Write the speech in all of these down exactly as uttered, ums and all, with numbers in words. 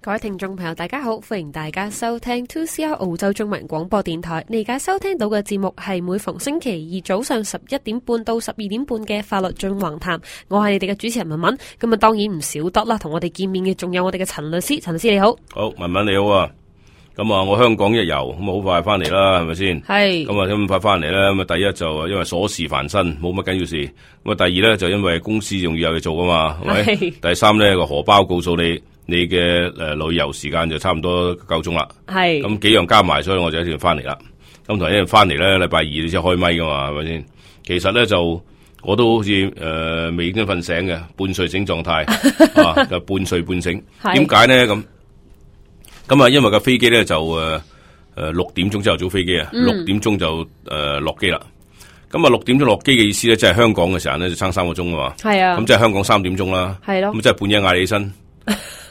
各位聽眾朋友大家好，歡迎大家收聽 two C R 澳洲中文廣播電台。你而家收聽到嘅節目係每逢星期二早上十一點半到十二點半嘅法律進橫談，我係你哋嘅主持人文文。咁啊當然唔少得啦，同我哋見面嘅仲有我哋嘅陳律師。陳律師你好。好，文文你好啊。咁啊我香港一遊咁啊好快翻嚟啦，係咪先？係。咁啊咁快翻嚟咧，咁啊第一就因為瑣事煩身，冇乜緊要事。咁啊第二咧就因為公司仲要有嘢做噶嘛，係咪？第三咧個荷包告訴你。你嘅誒、呃、旅遊時間就差唔多夠鐘啦，係咁幾樣加埋，所以我就一定要翻嚟啦。咁同一樣翻嚟咧，禮拜二你先開咪噶嘛，係咪先？其實咧就我都好似誒未已經瞓醒嘅，半睡醒狀態啊，就半睡半醒。點解咧咁？咁啊，因為個飛機咧就誒誒六點鐘朝頭早飛機啊，六、嗯、點鐘就誒落機啦。咁啊六點鐘落機嘅意思咧，即係香港嘅時候咧就差三個鐘啊嘛。係啊，咁即係香港三點鐘啦。係咯，咁即係半夜嗌你起身。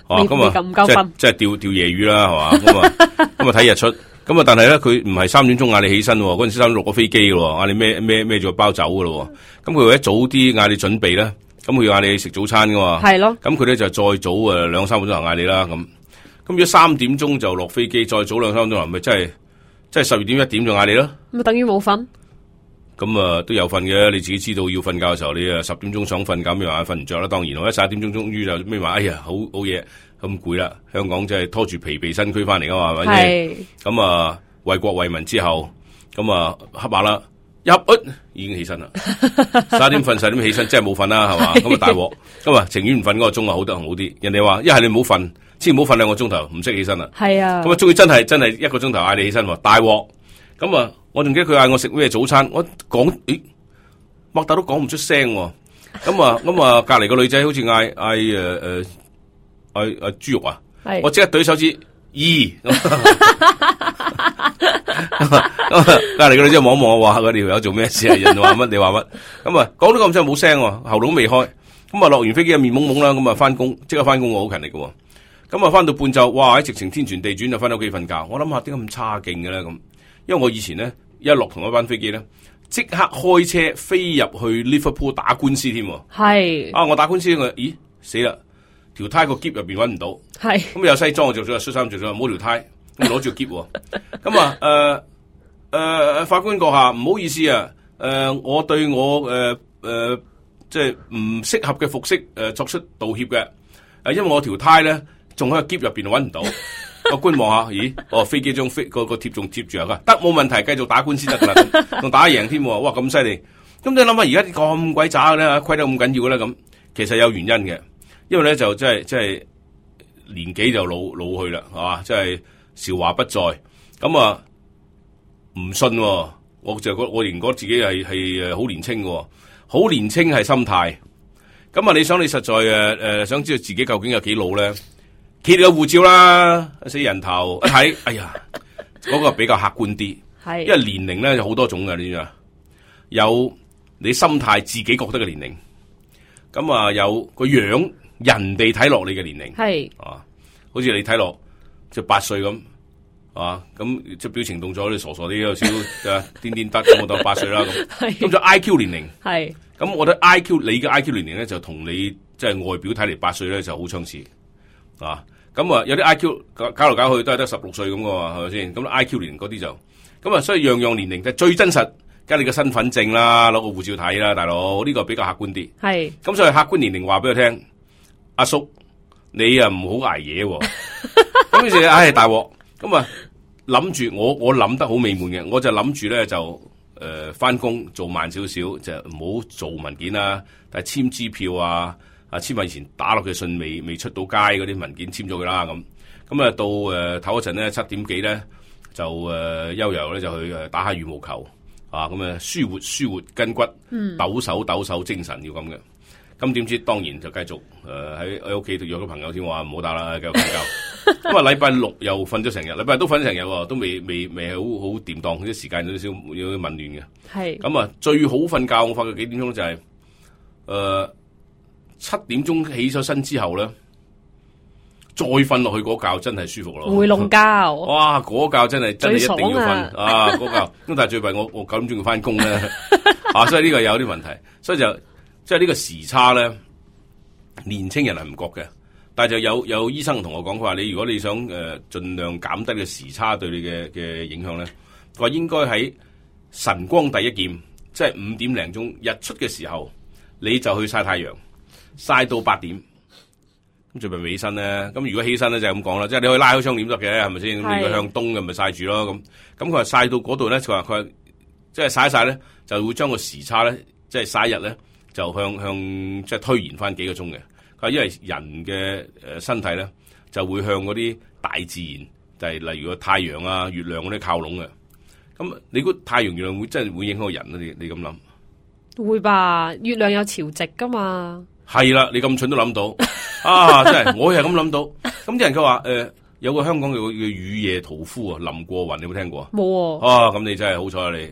哦，咁啊，即係即係釣釣夜魚啦，係嘛？咁啊，咁啊睇日出，咁啊，但係咧佢唔係三點鐘嗌你起身，嗰陣時三點落咗飛機嘅，嗌你孭孭孭住個包走嘅咯。咁佢為咗早啲嗌你準備咧，咁佢要嗌你食早餐噶嘛。係咯。咁佢咧就再早誒兩三個鐘頭嗌你啦。咁咁如果三點鐘就落飛機，再早兩三個鐘頭，咪真係即係十二點一點就嗌你咯。咁啊，等於冇瞓。咁啊都有瞓嘅，你自己知道要瞓覺嘅時候，你啊十點鐘想瞓覺，咩話瞓唔着啦？當然，我一十一點鐘終於就咩話，哎呀，好好嘢，咁攰啦！香港真係拖住疲憊身軀翻嚟噶嘛，係咪先？咁啊，為國為民之後，咁啊瞌下啦，一噏已經起身啦，十一點瞓，十點起身，真係冇瞓啦，係嘛？咁啊大鑊，咁啊情願唔瞓嗰個鐘啊好得好啲。人哋話一係你唔好瞓，千祈唔好瞓兩個鐘頭，唔識起身啦。係啊，咁啊終於真係真係一個鐘頭嗌你起身，大鑊，咁啊。我仲記得佢嗌我食咩早餐，我講，咦，擘大都講唔出聲喎。咁啊，咁啊，隔籬個女仔好似嗌嗌誒誒，嗌嗌豬肉啊，我即刻懟手指，咦，隔籬個女仔望一望我話，佢條友做咩事啊？人話乜你話乜？咁啊，講到咁真係冇聲，喉嚨都未開。咁啊，落完飛機啊，面懵懵啦，咁啊，翻工，即刻翻工，我好勤力嘅。咁啊，翻到半晝，哇，喺直情天旋地轉就翻到屋企瞓覺。我諗下點解咁差勁嘅咧咁？因為我以前咧一落同一班飛機咧，即刻開車飛入去 Liverpool 打官司添。係啊，我打官司我咦死啦，條呔個篋入邊搵唔到。係咁有西裝我着咗，恤衫着咗，冇條呔，咁攞住個篋。咁啊誒誒法官閣下唔好意思啊，誒、呃、我對我誒誒即係唔適合嘅服飾誒、呃、作出道歉嘅。誒、呃、因為我條呔咧仲喺個篋入邊搵唔到。個官望下，咦？哦，飛機張飛個個貼仲貼住啊！得冇問題，繼續打官司得噶啦，仲打贏添。哇，咁犀利！咁你諗下，而家咁鬼渣嘅咧，虧得咁緊要嘅咧，咁其實有原因嘅。因為咧就即係即係年紀就老老去啦，係嘛？即係韶華不再。咁啊，唔信，我就覺我仍覺得自己係係誒好年輕嘅，好年輕係心態。咁啊，你想你實在誒誒、呃、想知道自己究竟有幾老咧？揭你個護照啦，死人頭一睇，哎呀，嗰、那個比較客觀啲，係，因為年齡咧有好多種嘅，你知嘛？有你心態自己覺得嘅年齡，咁啊有個樣，人哋睇落你嘅年齡，係，啊，好似你睇落就八歲咁，啊，咁即係表情動作啲傻傻啲，有少少癲癲得，咁我當八歲啦咁，咁就 I Q 年齡，係，咁我覺得 I Q 你嘅 I Q 年齡咧就同你即係外表睇嚟八歲咧就好相似，啊。咁啊，有啲 I Q 搞搞嚟搞去都係得十六歲咁噶嘛，係咪先？咁 I Q 年齡嗰啲就，咁啊，所以樣樣年齡就最真實，梗係你個身份證啦，攞個護照睇啦，大佬呢、這個比較客觀啲。係，咁所以客觀年齡話俾佢聽，阿叔你啊唔好捱夜喎。咁於是唉大鑊，咁啊諗住我我諗得好美滿嘅，我就諗住咧就誒翻工做慢少少，就唔好做文件啦，但係簽支票啊。啊！簽埋以前打落嘅信未未出到街嗰啲文件簽咗佢啦咁，咁啊到誒唞嗰陣咧七點幾咧就誒悠悠咧就去誒打下羽毛球啊咁啊舒活舒活筋骨，嗯、抖手抖手精神要咁嘅。咁點知當然就繼續誒喺喺屋企度約咗朋友添，話唔好打啦，繼續瞓覺。咁啊禮拜六又瞓咗成日，禮拜日都瞓咗成日喎，都未未未係好好掂當，啲時間有少少有啲紊亂嘅。係咁啊最好瞓覺，我發覺幾點鐘就係、是、誒。呃七點鐘起咗身之後咧，再瞓落去嗰覺真係舒服咯。回籠覺，哇！嗰覺真係真係一定要瞓啊！嗰覺，咁但係最弊我我九點鐘要翻工咧，啊！所以呢個有啲問題，所以就即係呢個時差咧，年青人係唔覺嘅，但係就有有醫生同我講，佢話你如果你想誒盡量減低嘅時差對你嘅嘅影響咧，佢話應該喺晨光第一劍，即係五點零鐘日出嘅時候，你就去曬太陽，曬到八點，咁最咪起身咧。咁如果起身咧就係咁講啦，即係你可以拉開窗簾得嘅，係咪先？咁如果向東嘅咪曬住咯。咁咁佢話曬到嗰度咧，佢話佢即係曬一曬咧，就會將個時差咧，即係曬日咧，就向向即係推延翻幾個鐘嘅。因為人嘅誒身體咧，就會向嗰啲大自然，就係例如個太陽啊、月亮嗰啲靠攏嘅。咁你估太陽、月亮會真係會影響個人啊？你你咁諗？會吧？月亮有潮汐噶嘛？係啦，你咁蠢都諗到啊！真係，我又係咁諗到。咁啲人佢話誒，有個香港嘅叫雨夜屠夫啊，林過雲，你有冇聽過？冇啊！啊，咁你真係好彩啊你！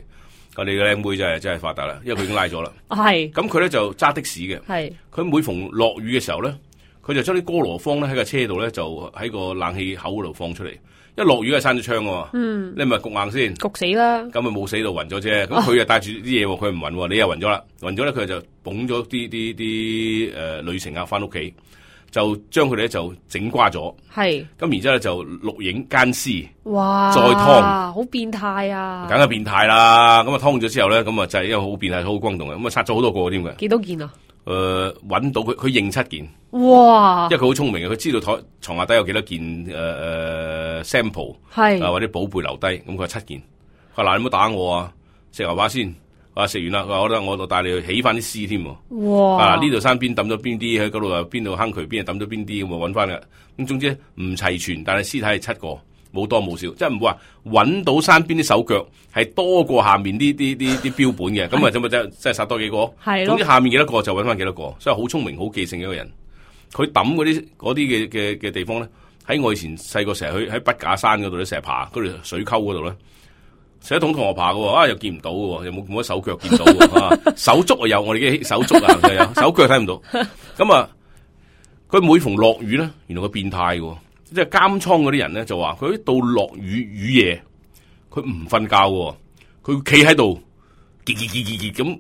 我哋嘅靚妹真係真係發達啦，因為佢已經拉咗啦。係。咁佢咧就揸的士嘅。係。佢每逢落雨嘅時候咧，佢就將啲哥羅芳咧喺個車度咧，就喺個冷氣口嗰度放出嚟。一落雨係閂咗窗㗎嘛。嗯。你咪焗硬先。焗死啦。咁咪冇死到暈咗啫。咁佢又帶住啲嘢喎，佢唔暈喎，你又暈咗啦。暈咗咧，佢就捧咗啲啲啲誒旅程客翻屋企。就將佢哋咧就整瓜咗，係咁然之後咧就錄影奸屍，哇！再湯，好變態啊！梗係變態啦！咁啊湯咗之後咧，咁啊就係因為好變態、好轟動嘅，咁啊殺咗好多個添嘅。幾多件啊？誒、呃，揾到佢，佢認七件。哇！因為佢好聰明嘅，佢知道台床下底有幾多件誒誒、呃、sample， 係啊或者寶貝留低，咁佢話七件。佢話嗱，你唔好打我啊！食牛扒先。話食完啦，佢話我得我帶你去起翻啲屍添。哇！啊呢度山邊抌咗邊啲，喺嗰度又邊度坑渠邊又抌咗邊啲，咁啊揾翻嘅。咁總之唔齊全，但係屍體係七個，冇多冇少，即係唔會話揾到山邊啲手腳係多過下面啲啲啲啲標本嘅。咁啊，咁啊真真係殺多幾個。係咯。總之下面幾多個就揾翻幾多個，所以好聰明、好記性嘅一個人。佢抌嗰啲嗰啲嘅嘅嘅地方咧，喺我以前細個成日去喺筆架山嗰度咧，成日爬嗰條水溝嗰度咧。成日同同學爬嘅，啊又見唔到嘅，又冇冇乜手腳見到嘅，啊手足啊有，我哋嘅手足啊就有，手腳睇唔到。咁啊，佢每逢落雨咧，原來佢變態嘅，即係監倉嗰啲人咧就話，佢到落雨雨夜，佢唔瞓覺嘅，佢企喺度，結結結結結咁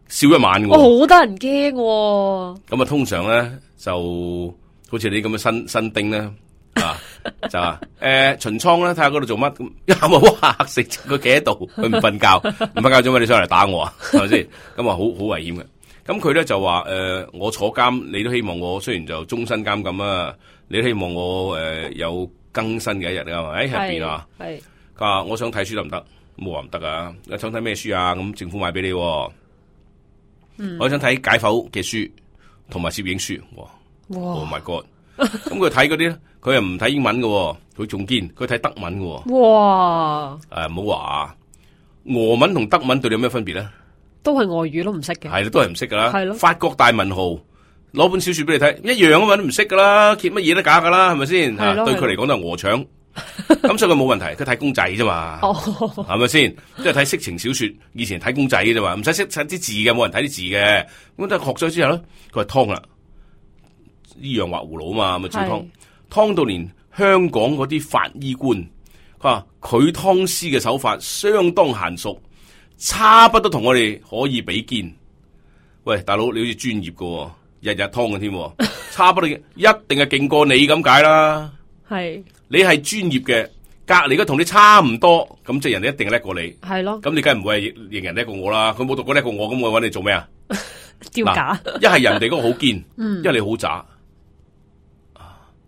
笑一晚嘅。哦，好得人驚。咁啊，通常咧就好似你咁嘅新新丁咧。啊，就話誒巡倉咧，睇下嗰度做乜咁，一下冇嚇死佢企喺度，佢唔瞓覺，唔瞓覺做乜？你上嚟打我啊？係咪先？咁啊，好好危險嘅。咁佢咧就話誒、呃，我坐監，你都希望我雖然就終身監禁啊，你都希望我誒、呃、有更新嘅一日啊？喺入邊啊，係佢話我想睇書得唔得？冇話唔得啊！你想睇咩書啊？咁政府買俾你、啊。嗯，我想睇解剖嘅書同埋攝影書。哇，哇 ！Oh my god！咁佢睇嗰啲咧，佢又唔睇英文嘅，佢仲堅，佢睇德文嘅。哇！誒，唔好話俄文同德文對你有咩分別咧？都係外語都唔識嘅。係啦，都係唔識噶啦。係咯。法國大文豪攞本小說俾你睇，一樣啊嘛，都唔識噶啦，揭乜嘢都假噶啦，係咪先？係咯。對佢嚟講都係鵝腸，咁所以佢冇問題，佢睇公仔啫嘛。哦。係咪先？即係睇色情小說，以前睇公仔嘅啫嘛，唔使識睇啲字嘅，冇人睇啲字嘅。咁但係學咗之後咧，佢話湯啦。依樣畫葫蘆啊嘛，咪照湯，湯到連香港嗰啲法醫官，佢話佢湯屍嘅手法相當嫻熟，差不多同我哋可以比肩。喂，大佬你好似專業嘅，日日湯嘅添，差不多一定係勁過你咁解啦。係你係專業嘅，隔籬嘅同你差唔多，咁即係人哋一定叻過你。係咯，咁你梗係唔會係認人叻過我啦。佢冇讀過叻過我，咁我搵你做咩啊？丟假，一係人哋嗰個好堅，一係你好渣。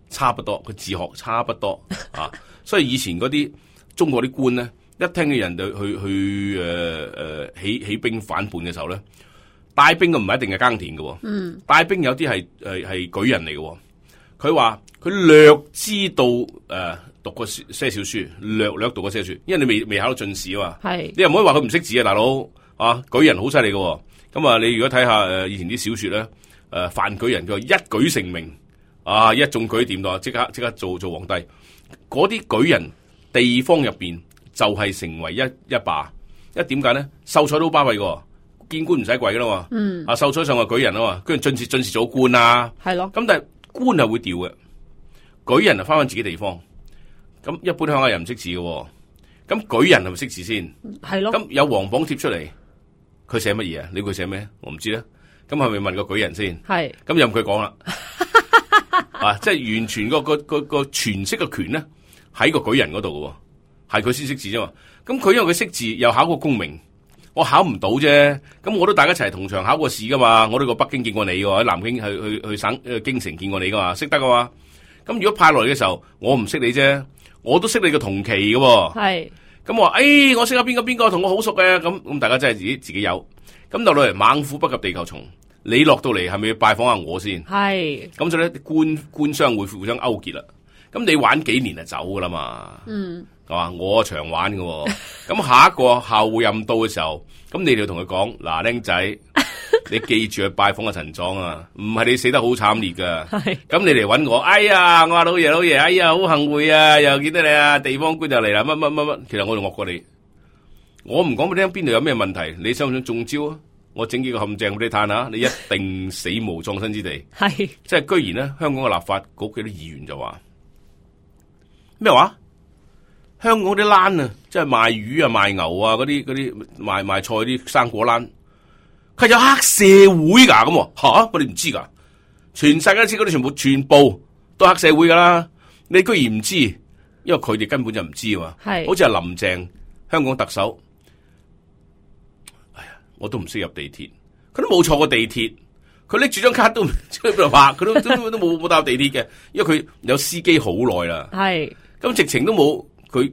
差不多，佢自學差不多啊，所以以前嗰啲中國啲官咧，一聽嘅人就去去誒誒、呃、起起兵反叛嘅時候咧，帶兵嘅唔係一定係耕田嘅，嗯，帶兵有啲係誒係舉人嚟嘅，佢話佢略知道誒、呃、讀過些少書，略略讀過些少書，因為你未未考到進士啊嘛，係，你又唔可以話佢唔識字啊，大佬啊，舉人好犀利嘅，咁啊，你如果睇下誒以前啲小說咧，誒、呃、范舉人佢話一舉成名。啊！一中舉掂到，即刻即刻做做皇帝。嗰啲舉人地方入邊就係成為一一霸。一點解咧？秀才都好巴閉嘅，見官唔使跪噶啦嘛。嗯。啊，秀才上係舉人啊嘛，跟住進士進士做官啊。係咯。咁但係官係會調嘅，舉人啊翻返自己地方。咁一般鄉下人唔識字嘅，咁舉人係咪識字先？係咯。咁有黃榜貼出嚟，佢寫乜嘢啊？你估佢寫咩？我唔知咧。咁係咪問個舉人先？係。咁任佢講啦。啊，即係完全個個個個詮釋嘅權咧喺個舉人嗰度嘅，係佢先識字啫嘛。咁佢因為佢識字，又考過公民，我考唔到啫。咁我都大家一齊同場考過試噶嘛，我都過北京見過你喎，喺南京去去去省誒京城見過你噶嘛，識得噶嘛。咁如果派落嚟嘅時候，我唔識你啫，我都識你個同期嘅喎。係。咁我話，誒、哎，我識下邊個邊個同我好熟嘅，咁咁大家真係自己自己有。咁落嚟猛虎不及地球蟲，你落到嚟係咪要拜訪下我先？係。咁所以咧，官官商會互相勾結啦。咁你玩幾年就走噶啦嘛？嗯。係嘛？我長玩嘅。咁下一個後任到嘅時候，咁你哋要同佢講，嗱，僆仔，你記住去拜訪阿陳莊啊，唔係你死得好慘烈噶。係。咁你嚟搵我，哎呀，我話老爺老爺，哎呀，好幸會啊，又見到你啊，地方官就嚟啦，乜乜乜乜，其實我仲惡過你。我唔講俾你聽邊度有咩問題，你想唔想中招啊？我整幾個陷阱俾你嘆下，你一定死無葬身之地。係，即係居然咧，香港嘅立法局嘅啲議員就話咩話？香港啲欄啊，即係賣魚啊、賣牛啊嗰啲嗰啲賣賣菜啲生果欄，佢有黑社會噶咁吓？我哋唔知噶，全世界都知嗰啲全部全部都黑社會噶啦，你居然唔知？因為佢哋根本就唔知啊嘛。係，好似係林鄭香港特首。我都唔識入地鐵，佢都冇坐過地鐵，佢拎住張卡都唔知喺邊度拍，佢都都都冇冇搭地鐵嘅，因為佢有司機好耐啦。係，咁直情都冇，佢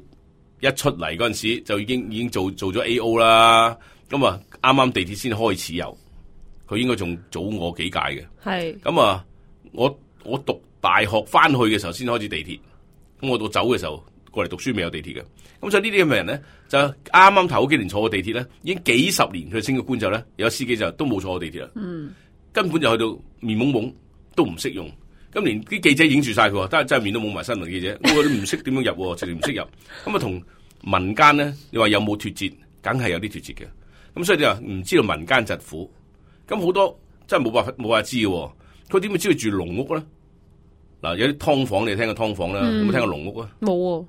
一出嚟嗰陣時就已經已經做做咗 A O 啦。咁啊，啱啱地鐵先開始有，佢應該仲早我幾屆嘅。係，咁啊，我我讀大學翻去嘅時候先開始地鐵，咁我到走嘅時候過嚟讀書未有地鐵嘅。咁所以呢啲咁嘅人咧，就啱啱頭嗰幾年坐過地鐵咧，已經幾十年佢升咗官之後咧，有司機就都冇坐過地鐵啦。嗯，根本就去到面懵懵，都唔識用。咁連啲記者影住晒佢，真係真係面都懵埋新聞記者，我都唔識點樣入，直情唔識入。咁啊，同民間咧，你話有冇脫節？梗係有啲脫節嘅。咁所以你話唔知道民間疾苦，咁好多真係冇辦法冇法知嘅。佢點會知道住籠屋咧？嗱，有啲劏房你聽過劏房啦，有冇聽過籠屋啊？冇。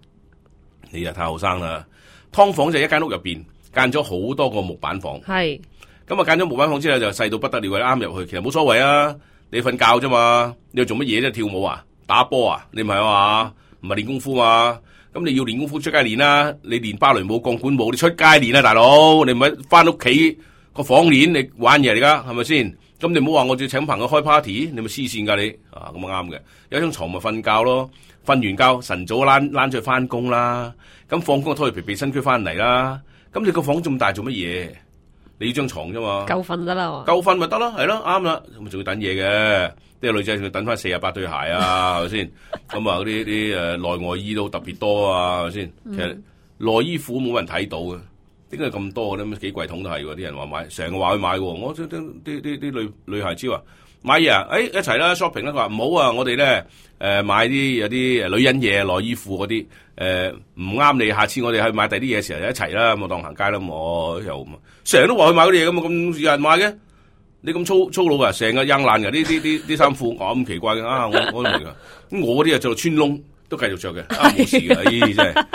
你又太後生啦！劏房就一間屋入邊間咗好多個木板房，係咁啊，間咗木板房之後就細到不得了，啱入去，其實冇所謂啊！你瞓覺啫嘛，你又做乜嘢啫？跳舞啊，打波啊，你唔係啊嘛？唔係練功夫嘛？咁你要練功夫出街練啦，你練芭蕾舞、鋼管舞，你出街練啊，大佬！你唔係翻屋企個房練，你玩嘢嚟噶，係咪先？咁你唔好話我要請朋友開 party，你咪黐線噶你啊！咁啊啱嘅，有張床咪瞓覺咯。瞓完覺，晨早躝躝出去翻工啦。咁放工拖住疲憊身軀翻嚟啦。咁你個房咁大做乜嘢？你要張床啫嘛。夠瞓得啦。夠瞓咪得咯，係咯，啱啦。咁仲要等嘢嘅，啲女仔仲要等翻四十八對鞋啊，係咪先？咁啊，嗰啲啲誒內外衣都特別多啊，係咪先？其實內衣褲冇人睇到嘅，點解咁多嘅咧？幾櫃桶都係喎，啲人話買，成日話去買喎。我啲啲啲啲女女孩子話。買嘢啊！誒、哎，一齊啦 shopping 啦！佢話唔好啊！我哋咧誒買啲有啲女人嘢、內衣褲嗰啲誒唔啱你，下次我哋去買第啲嘢嘅時候一齊啦，咁我當行街啦，我又成日都話去買嗰啲嘢咁啊，咁有人買嘅？你咁粗粗魯噶，成日扔爛噶，呢啲啲啲衫褲咁奇怪嘅啊！我我都明噶，咁我嗰啲啊做到穿窿都繼續着嘅，啊冇事嘅，咦、哎、真係。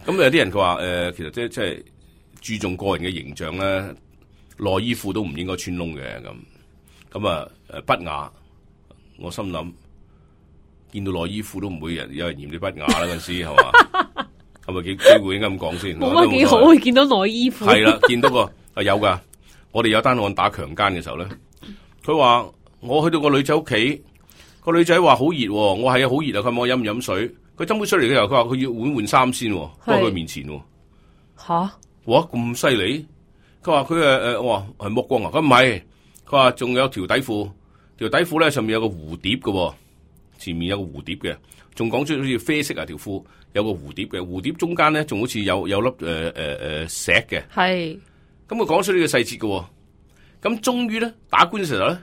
咁有啲人佢話誒，其實即係即係注重個人嘅形象咧，內衣褲都唔應該穿窿嘅咁。咁啊，誒不雅，我心諗見到內衣褲都唔會人有人嫌你不雅啦，嗰陣時係嘛？係咪幾機會應該咁講先？冇乜幾好，會見到內衣褲。係啦，見到個啊有噶，我哋有單案打強姦嘅時候咧，佢話我去到個女仔屋企，個女仔話好熱，我係啊好熱啊，佢問我飲唔飲水，佢斟杯水嚟嘅時候，佢話佢要換換衫先，放喺佢面前。吓？哇咁犀利！佢話佢誒誒，我話係剝光啊，佢唔係。佢話仲有條底褲，條底褲咧上面有個蝴蝶嘅，前面有個蝴蝶嘅，仲講出好似啡色啊條褲有個蝴蝶嘅，蝴蝶中間咧仲好似有有粒誒誒誒石嘅。係，咁佢講出呢個細節嘅，咁終於咧打官嘅時候咧，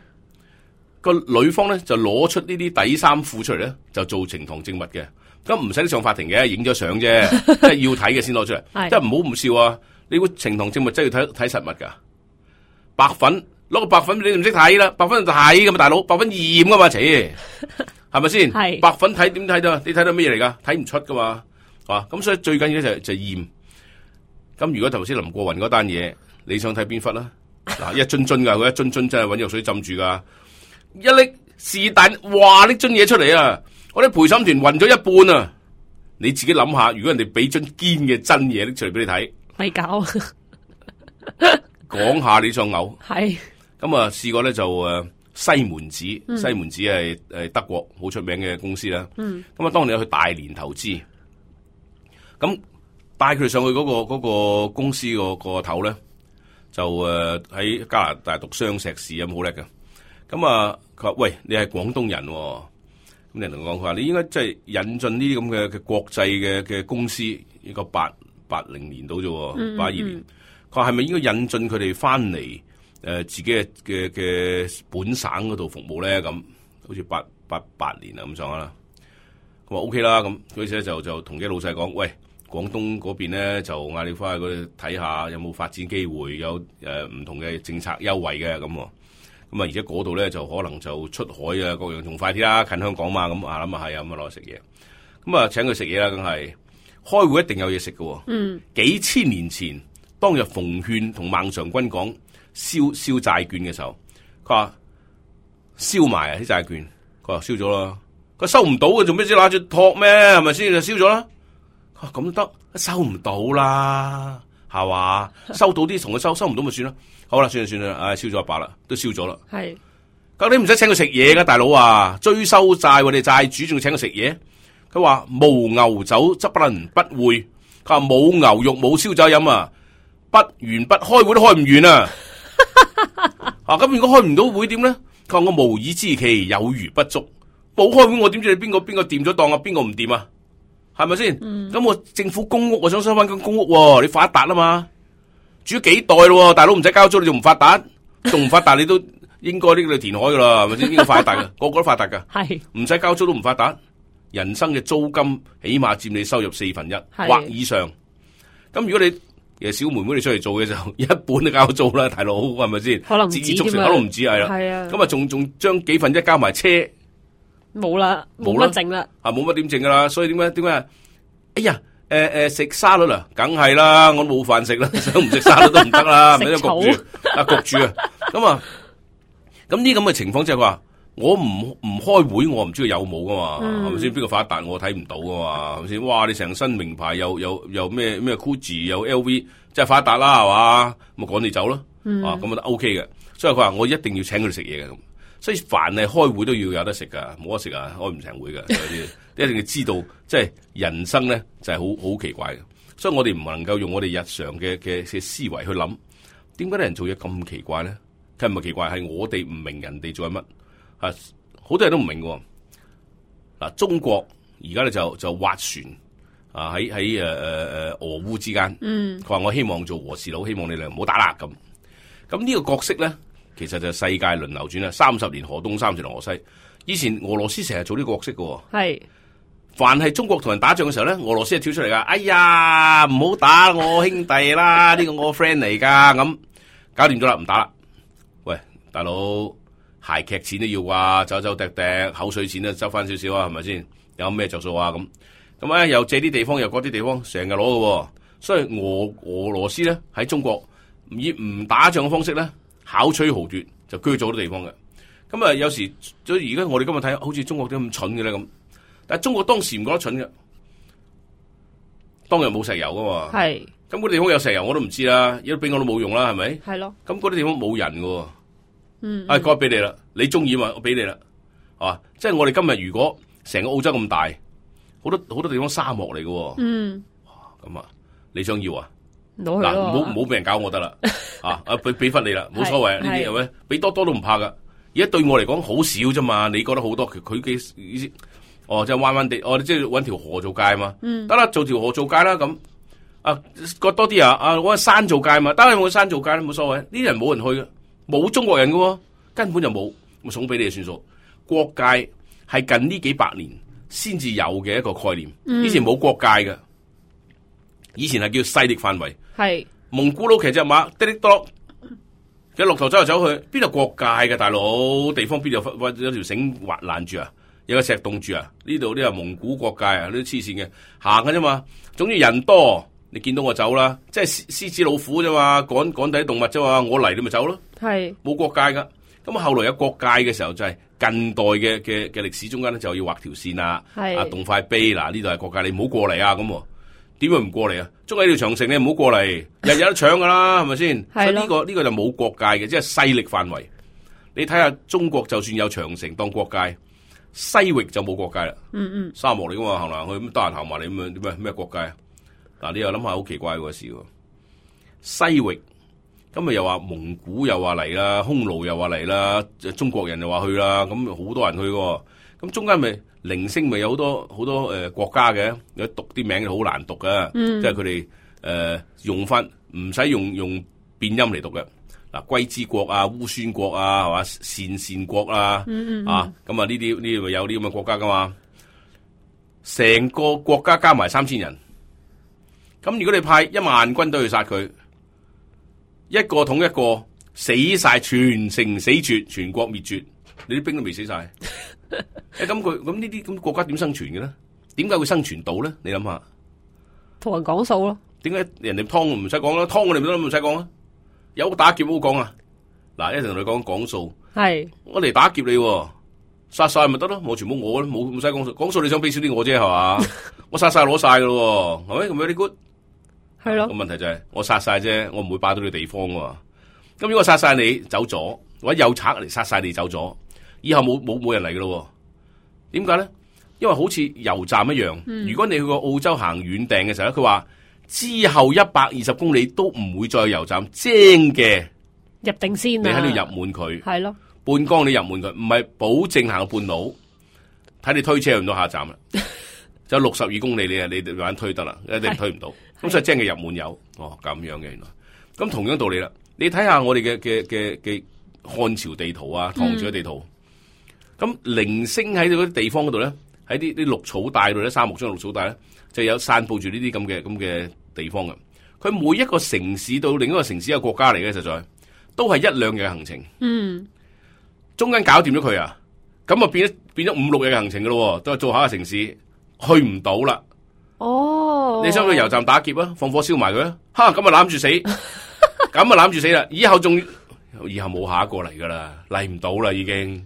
個女方咧就攞出呢啲底衫褲出嚟咧，就做呈堂證物嘅，咁唔使上法庭嘅，影咗相啫，即係要睇嘅先攞出嚟，即係唔好唔笑啊！你會呈堂證物真係要睇睇實物噶，白粉。攞個白粉你唔識睇啦，白粉就睇噶嘛，大佬，白粉驗噶嘛，切，係咪先？係白粉睇點睇到？你睇到咩嘢嚟噶？睇唔出噶嘛，啊，咁所以最緊要就就驗。咁如果頭先林過雲嗰單嘢，你想睇邊忽啦？嗱，一樽樽噶，佢一樽樽真係搵藥水浸住噶，一拎是但哇拎樽嘢出嚟啊！我啲陪審團暈咗一半啊！你自己諗下，如果人哋俾樽堅嘅真嘢拎出嚟俾你睇，咪搞講下你想嘔。係咁啊，試過咧就誒西門子，嗯、西門子係誒德國好出名嘅公司啦。咁啊、嗯，當年去大連投資，咁帶佢哋上去嗰、嗰個、嗰個公司個個頭咧，就誒喺加拿大讀雙碩士咁好叻㗎。咁啊，佢話喂，你係廣東人、哦，咁人同我講佢話你應該即係引進呢啲咁嘅嘅國際嘅嘅公司，呢個八八零年到啫，八二年。佢話係咪應該引進佢哋翻嚟誒自己嘅嘅嘅本省嗰度服務咧？咁好似八八八年啊咁上下啦。佢話 O K 啦，咁佢且就就同啲老細講，喂，廣東嗰邊咧就嗌你翻去嗰度睇下有冇發展機會，有誒唔、呃、同嘅政策優惠嘅咁。咁啊，而且嗰度咧就可能就出海啊，各樣仲快啲啦，近香港嘛，咁啊諗啊係啊，咁啊落去食嘢。咁啊請佢食嘢啦，梗係開會一定有嘢食嘅。嗯，幾千年前當日馮勸同孟嘗君講燒燒債券嘅時候，佢話燒埋啊啲債券，佢話燒咗啦，佢收唔到嘅，做咩先攞住托咩？係咪先就燒咗啦？佢話咁得，收唔到啦，係嘛？收到啲同佢收，收唔到咪算啦。好啦，算啦算啦，唉，燒咗一百啦，都燒咗啦。係，咁你唔使請佢食嘢噶，大佬啊，追收債我哋債主仲要請佢食嘢。佢話無牛酒則不能不會，佢話冇牛肉冇燒酒飲啊，不完不開會都開唔完啊。啊，咁如果開唔到會點咧？佢話我無以知其有餘不足，冇開會我點知你邊個邊個掂咗檔啊？邊個唔掂啊？係咪先？咁、嗯、我政府公屋我想收翻間公屋、啊，你發達啦嘛？住咗幾代咯，大佬唔使交租你仲唔發達？仲唔發達你都應該呢個填海噶啦，係咪先？應該發達噶，個個都發達噶，係唔使交租都唔發達。人生嘅租金起碼佔你收入四分一或以上。咁如果你誒小妹妹你出嚟做嘅時候，一半都交租啦，大佬係咪先？可能唔止添啊，可能唔止係啦。係啊，咁啊仲仲將幾分一交埋車，冇啦，冇乜剩啦，啊冇乜點剩噶啦。所以點解點解？哎呀！誒、呃、誒，食沙律啦，梗係啦，我冇飯食啦，想唔食沙律都唔得啦，咪都焗住啊焗住啊，咁啊，咁呢咁嘅情況即係話，我唔唔開會，我唔知佢有冇噶嘛，係咪先？邊個發達我睇唔到噶嘛，係咪先？哇，你成身名牌又又又咩咩 Gucci 又 L V，即係發達啦，係嘛？咁趕你走咯，嗯、啊，咁啊都 OK 嘅。所以佢話我一定要請佢哋食嘢嘅咁。所以凡係開會都要有得食噶，冇得食啊，開唔成會噶。一定要知道，即係人生咧就係好好奇怪嘅。所以我哋唔能夠用我哋日常嘅嘅嘅思維去諗，點解啲人做嘢咁奇怪咧？佢唔係奇怪，係我哋唔明人哋做緊乜啊！好多人都唔明嘅。嗱，中國而家咧就就划船啊，喺喺誒誒誒俄烏之間。嗯，佢話我希望做和事佬，希望你哋唔好打啦咁。咁呢個角色咧？其實就係世界輪流轉啦，三十年河東，三十年河西。以前俄羅斯成日做呢個角色嘅，係凡係中國同人打仗嘅時候咧，俄羅斯係跳出嚟噶。哎呀，唔好打我兄弟啦，呢個我 friend 嚟噶，咁搞掂咗啦，唔打啦。喂，大佬，鞋劇錢都要啩，走走趯趯，口水錢都收翻少少啊，係咪先？有咩着數啊？咁咁咧，又借啲地方，又嗰啲地方，成日攞嘅。所以俄俄羅斯咧喺中國以唔打仗嘅方式咧。巧取豪奪就居咗好多地方嘅，咁啊有時所以而家我哋今日睇好似中國點咁蠢嘅咧咁，但係中國當時唔覺得蠢嘅，當日冇石油噶嘛，係咁嗰啲地方有石油我都唔知啦，如果俾我都冇用啦，係咪？係咯，咁嗰啲地方冇人嘅，嗯，啊該俾你啦，你中意嘛，我俾你啦，啊，即係我哋今日如果成個澳洲咁大，好多好多地方沙漠嚟嘅，嗯，咁啊你想要啊？嗱，唔好唔好俾人搞我得啦，啊啊俾俾翻你啦，冇所謂，呢啲係咪？俾多多都唔怕噶。而家對我嚟講好少啫嘛，你覺得好多佢佢嘅意思，哦即係彎彎地，哦即係搵條河做界嘛，嗯，得啦，做條河做界啦咁，啊割多啲啊，啊搵山做界嘛，得啦，有冇山做界都冇所謂，呢啲人冇人去嘅，冇中國人嘅，根本就冇，我送俾你就算數。國界係近呢幾百年先至有嘅一個概念，嗯、以前冇國界嘅。以前係叫勢力範圍，係蒙古佬騎隻馬滴滴多，佢落頭走嚟走去，邊度國界嘅大佬？地方邊度有有條繩滑攔住啊？有個石洞住啊？呢度呢係蒙古國界啊？呢啲黐線嘅行嘅啫嘛。總之人多，你見到我走啦，即係獅子老虎啫嘛，趕趕底動物啫嘛，我嚟你咪走咯。係冇國界噶。咁後來有國界嘅時候就係近代嘅嘅嘅歷史中間咧，就要畫條線啦，啊，動塊碑嗱，呢度係國界，你唔好過嚟啊，咁點會唔過嚟啊？捉喺條長城，你唔好過嚟，日日都搶噶啦，係咪先？所以呢個呢個就冇國界嘅，即係勢力範圍。你睇下中國就算有長城當國界，西域就冇國界啦。嗯嗯，沙漠嚟噶嘛，行嚟行去咁得閒行埋嚟咁樣，點咩咩國界啊？嗱，你又諗下好奇怪個事喎。西域今日又話蒙古又話嚟啦，匈奴又話嚟啦，中國人又話去啦，咁好多人去喎。咁中間咪零星咪有好多好多誒、呃、國家嘅，有讀啲名好難讀嘅，嗯、即係佢哋誒用翻唔使用用變音嚟讀嘅。嗱，龜茲國啊、烏孫國啊，係嘛，鄯善國啊，嗯嗯啊，咁啊呢啲呢啲咪有啲咁嘅國家噶嘛？成個國家加埋三千人，咁如果你派一萬軍隊去殺佢，一個統一個死晒，全城死絕，全國滅絕，你啲兵都未死晒。誒，咁佢咁呢啲咁國家點生存嘅咧？點解會生存到咧？你諗下，同人講數咯。點解人哋湯唔使講啦？湯我哋都唔使講啦。有打劫好講啊！嗱，一陣同你講講數。係我嚟打劫你，殺晒咪得咯？我全部我冇唔使講數，講數你想俾少啲我啫係嘛？我殺晒攞晒噶咯，係咪咁樣啲 good？係咯。個問題就係、是、我殺晒啫，我唔會霸到你地方噶。咁如果殺晒你走咗，或者有賊嚟殺晒你走咗。以後冇冇冇人嚟噶咯？點解咧？因為好似油站一樣，嗯、如果你去過澳洲行遠訂嘅時候咧，佢話之後一百二十公里都唔會再有油站，精嘅入定先啊！你喺度入滿佢，係咯，半缸你入滿佢，唔係保證行半路，睇你推車去唔到下站啦。就六十二公里，你啊你慢慢推得啦，一定推唔到。咁所以精嘅入滿油，哦咁樣嘅原來。咁同樣道理啦，你睇下我哋嘅嘅嘅嘅漢朝地圖啊，唐朝嘅地圖。嗯咁零星喺嗰啲地方嗰度咧，喺啲啲綠草帶度咧，沙漠中嘅綠草帶咧，就有散佈住呢啲咁嘅咁嘅地方嘅。佢每一個城市到另一個城市嘅國家嚟嘅，實在都係一兩日嘅行程。嗯，中間搞掂咗佢啊，咁啊變咗變咗五六日嘅行程噶咯，都係做下個城市去唔到啦。哦，你想去油站打劫啊？放火燒埋佢啊？哈，咁啊攬住死，咁啊攬住死啦！以後仲以後冇下一個嚟噶啦，嚟唔到啦已經。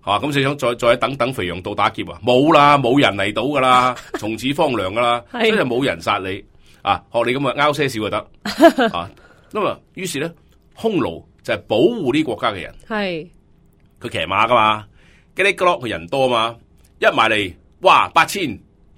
啊！咁你想再再等等肥羊到打劫啊？冇啦，冇人嚟到噶啦，從此荒涼噶啦，所以就冇人殺你啊！學你咁啊，拗些少就得啊。咁啊，於是咧，匈奴就係保護呢國家嘅人，係佢騎馬噶嘛，吉哩吉洛佢人多嘛，一埋嚟哇八千，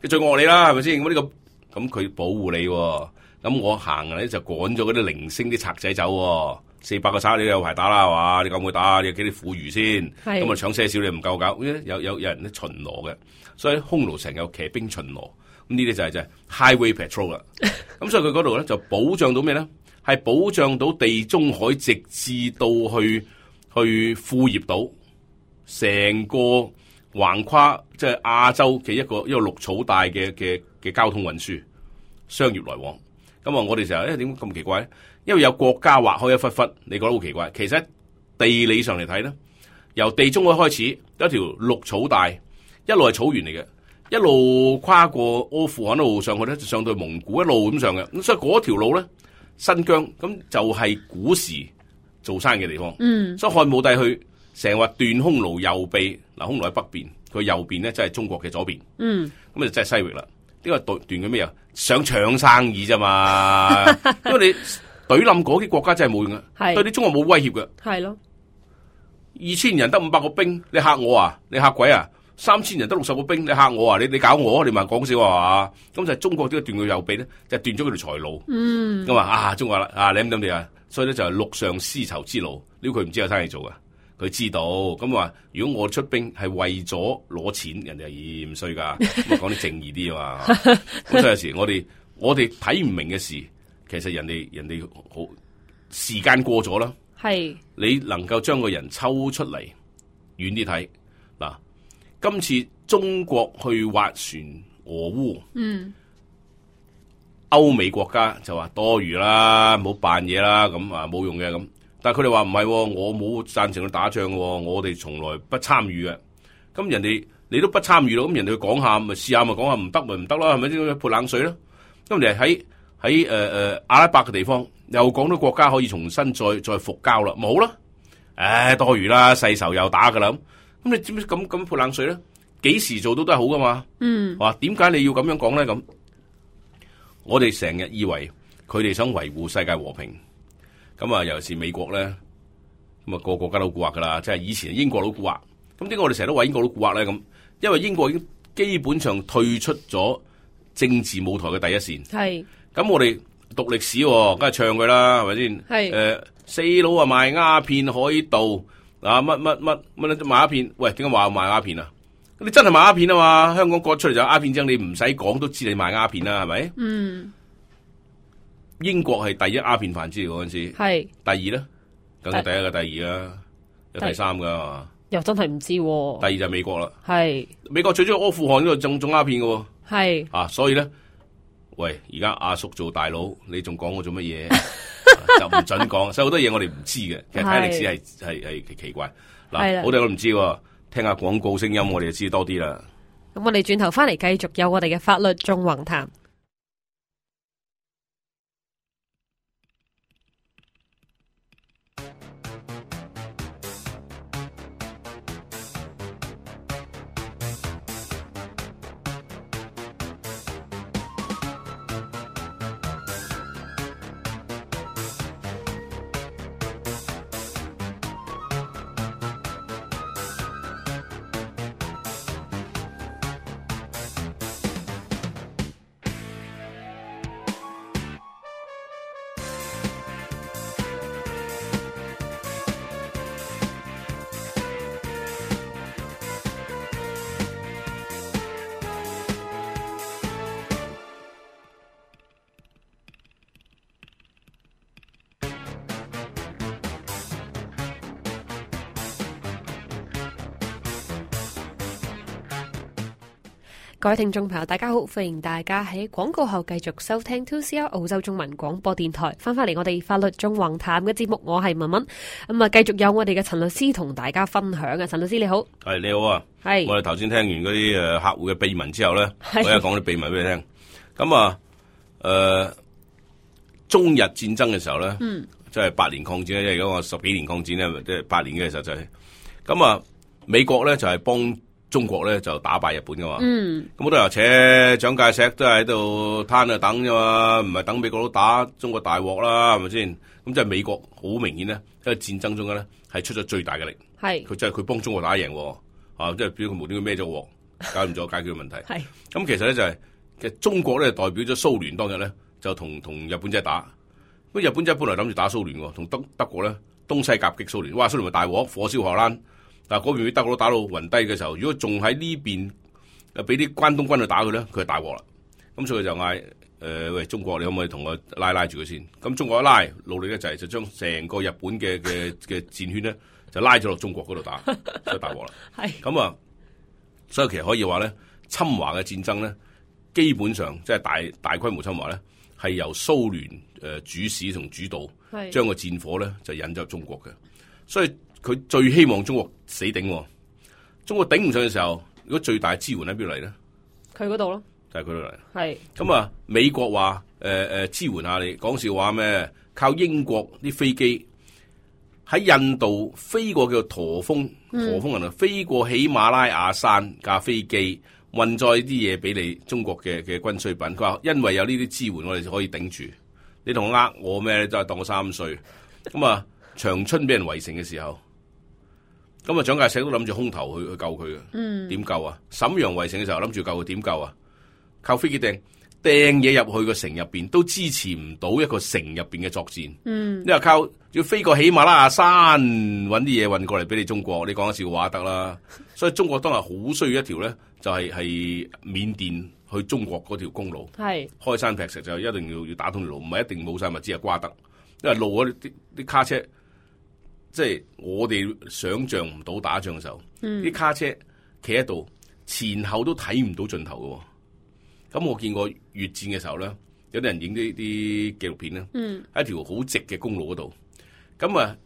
佢最惡你啦，係咪先？咁呢個咁佢保護你，咁我行咧就趕咗嗰啲零星啲賊仔走。四百個賊你有排打啦係嘛？你夠唔夠打？你有幾啲婦孺先？咁啊搶些少你唔夠搞？有有有人咧巡邏嘅，所以匈奴成日有騎兵巡邏。咁呢啲就係就係 highway patrol 啦。咁所以佢嗰度咧就保障到咩咧？係保障到地中海直至到去去庫頁島，成個橫跨即係亞洲嘅一個一個綠草帶嘅嘅嘅交通運輸商業來往。咁啊，我哋成日誒點解咁奇怪咧？因為有國家劃開一忽忽，你覺得好奇怪。其實地理上嚟睇咧，由地中海開始有一條綠草帶，一路係草原嚟嘅，一路跨過阿富汗一路上去咧，就上到蒙古一路咁上嘅。咁所以嗰條路咧，新疆咁就係古時做生意嘅地方。嗯，所以漢武帝去成日話斷匈奴右臂，嗱匈奴喺北邊，佢右邊咧即係中國嘅左邊。嗯，咁就真係西域啦。呢個斷斷佢咩啊？想搶生意啫嘛，因為你。懟冧嗰啲國家真係冇用嘅，對啲中國冇威脅嘅。係咯，二千人得五百個兵，你嚇我啊？你嚇鬼啊？三千人得六十個兵，你嚇我啊？你你搞我？你咪講笑啊嘛？咁就係中國呢個斷佢右臂咧，就斷咗佢條財路。嗯，咁啊啊，中國啦啊，你諗諗你啊，所以咧就係陸上絲綢之路，呢個佢唔知有生意做噶，佢知道。咁話如果我出兵係為咗攞錢，人哋係嫌衰噶，咁講啲正義啲啊嘛。咁所以有時我哋我哋睇唔明嘅事。其實人哋人哋好時間過咗啦，係你能夠將個人抽出嚟遠啲睇嗱。今次中國去斡旋俄烏，嗯，歐美國家就話多餘啦，唔好扮嘢啦，咁啊冇用嘅咁。但係佢哋話唔係，我冇贊成去打仗嘅，我哋從來不參與嘅。咁人哋你都不參與咯，咁人哋去講下咪試下咪講下，唔得咪唔得啦，係咪先潑冷水咯？咁人哋喺喺誒誒阿拉伯嘅地方，又講到國家可以重新再再復交啦，冇啦，唉多餘啦，世仇又打噶啦，咁你知唔知咁咁潑冷水咧？幾時做到都係好噶嘛？嗯，話點解你要咁樣講咧？咁我哋成日以為佢哋想維護世界和平，咁啊，尤其是美國咧，咁啊個個國家都蠱惑噶啦，即係以前英國都蠱惑。咁點解我哋成日都話英國都蠱惑咧？咁因為英國已經基本上退出咗政治舞台嘅第一線。係。咁我哋讀歷史，梗係唱佢啦，係咪先？係。誒，四佬啊賣鴉片海盜啊，乜乜乜乜賣鴉片？喂，點解話賣鴉片啊？你真係賣鴉片啊嘛？香港割出嚟就鴉片章，你唔使講都知你賣鴉片啦，係咪？嗯。英國係第一鴉片販子嚟嗰陣時。係。第二咧，梗係第一個第二啦，有第三噶嘛？又真係唔知、啊。第二就係美國啦。係。美國最中意阿富汗呢度種種鴉片噶。係。啊，所以咧，喂，而家阿叔做大佬，你仲講我做乜嘢？就唔准講，所以好多嘢我哋唔知嘅。其實睇歷史係係係奇怪。嗱，好多人都唔知喎。聽下廣告聲音，我哋就知多啲啦。咁我哋轉頭翻嚟繼續有我哋嘅法律縱橫談。各位聽眾朋友，大家好，歡迎大家喺廣告後繼續收聽 two C R 澳洲中文廣播電台，翻返嚟我哋法律縱橫談嘅節目，我係文文，咁啊繼續有我哋嘅陳律師同大家分享啊，陳律師你好。係你好啊。係我哋頭先聽完嗰啲誒客戶嘅秘聞之後咧，我而家講啲秘密俾你聽。咁啊誒中日戰爭嘅時候咧，嗯，即係八年抗戰咧，即係嗰個十幾年抗戰咧，即係八年嘅時候就係咁啊。美國咧就係幫中國咧就打敗日本噶嘛，咁好多人扯蔣介石都係喺度攤喺度等啫嘛，唔係等美國佬打中國大鑊啦，係咪先？咁即係美國好明顯咧喺戰爭中間咧係出咗最大嘅力，係佢即係佢幫中國打贏，啊即係表佢無端端孭咗鑊，搞唔咗解決問題。係咁其實咧就係、是、其實中國咧代表咗蘇聯當日咧就同同日本仔打，咁日本仔本來諗住打蘇聯喎，同德德國咧東西夾擊蘇聯，哇蘇聯咪大鑊，火燒荷蘭。但係嗰邊俾德國佬打到暈低嘅時候，如果仲喺呢邊誒俾啲關東軍去打佢咧，佢係大鑊啦。咁所以就嗌誒、呃、喂中國，你可唔可以同我拉拉住佢先？咁中國一拉，努力咧就係就將成個日本嘅嘅嘅戰圈咧就拉咗落中國嗰度打，所以大鑊啦。係咁啊，所以其實可以話咧，侵華嘅戰爭咧，基本上即係大大規模侵華咧，係由蘇聯誒主使同主導，將個戰火咧就引咗入中國嘅，所以。佢最希望中國死頂，中國頂唔上嘅時候，如果最大支援喺邊度嚟咧？佢嗰度咯，就係佢度嚟。係咁啊！美國話誒誒支援下你，講笑話咩？靠英國啲飛機喺印度飛過叫做駝峰，駝峰人啊，飛過喜馬拉雅山架飛機運載啲嘢俾你中國嘅嘅軍需品。佢話因為有呢啲支援，我哋就可以頂住。你同我呃我咩？都係當我三歲。咁啊，長春俾人圍城嘅時候。咁啊，蔣介石都諗住空投去去救佢嘅，嗯，點救啊？瀋陽圍城嘅時候諗住救佢，點救啊？靠飛機掟掟嘢入去個城入邊，都支持唔到一個城入邊嘅作戰，嗯，因為靠要飛過喜馬拉雅山搵啲嘢運過嚟俾你中國，你講笑話得啦。所以中國當日好需要一條咧，就係係緬甸去中國嗰條公路，係開山劈石就一定要要打通條路，唔係一定冇晒物資啊瓜得，因為路嗰啲啲卡車。即係我哋想象唔到打仗嘅時候，啲、嗯、卡車企喺度，前後都睇唔到盡頭嘅。咁我見過越戰嘅時候咧，有啲人影啲啲紀錄片咧，喺、嗯、一條好直嘅公路嗰度，咁啊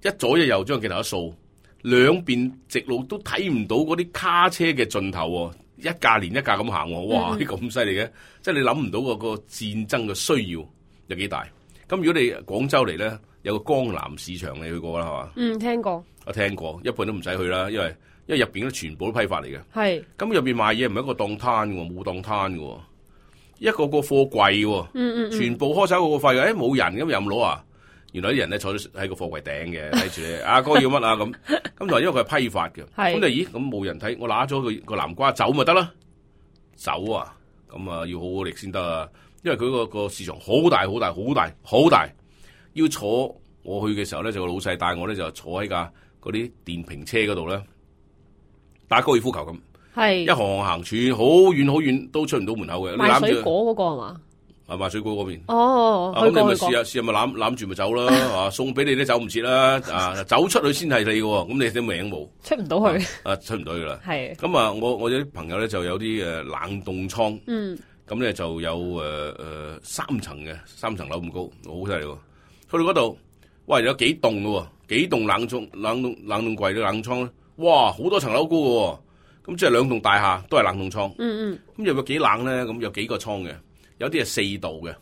一左一右將鏡頭一掃，兩邊直路都睇唔到嗰啲卡車嘅盡頭，一架連一架咁行，哇！啲咁犀利嘅，即係你諗唔到個個戰爭嘅需要有幾大。咁如果你廣州嚟咧，有個江南市場你去過啦係嘛？嗯，聽過。我聽過，一般都唔使去啦，因為因為入邊咧全部都批發嚟嘅。係。咁入邊賣嘢唔係一個檔攤嘅喎，冇檔攤嘅喎，一個個貨櫃喎。嗯嗯嗯。全部開晒個貨櫃嘅，誒冇人咁任攞啊！原來啲人咧坐喺個貨櫃頂嘅睇住你，阿哥要乜啊咁？咁就因為佢係批發嘅，咁就咦咁冇人睇，我拿咗個個南瓜走咪得啦？走啊！咁啊要好好力先得啊！因為佢個個市場好大好大好大好大，要坐我去嘅時候咧，就個老細帶我咧就坐喺架嗰啲電瓶車嗰度咧，打高爾夫球咁，係一行行行處好遠好遠都出唔到門口嘅。賣水果嗰個係嘛？係賣水果嗰邊。哦，咁、啊、你咪試下試下咪攬攬住咪走啦，啊送俾你都走唔切啦，啊走出去先係你嘅，咁你啲名冇出唔到去，啊出唔到去啦。係。咁啊，我我有啲朋友咧就有啲誒冷凍倉，嗯，咁咧就有誒誒、呃呃、三層嘅，三層樓咁高，好犀利喎。去到嗰度，哇有幾棟嘅喎，幾棟冷倉冷凍冷凍櫃嘅冷倉咧，哇好多層樓高嘅喎，咁即係兩棟大廈都係冷凍倉。嗯嗯。咁又有幾冷咧？咁有幾個倉嘅？有啲係四度嘅，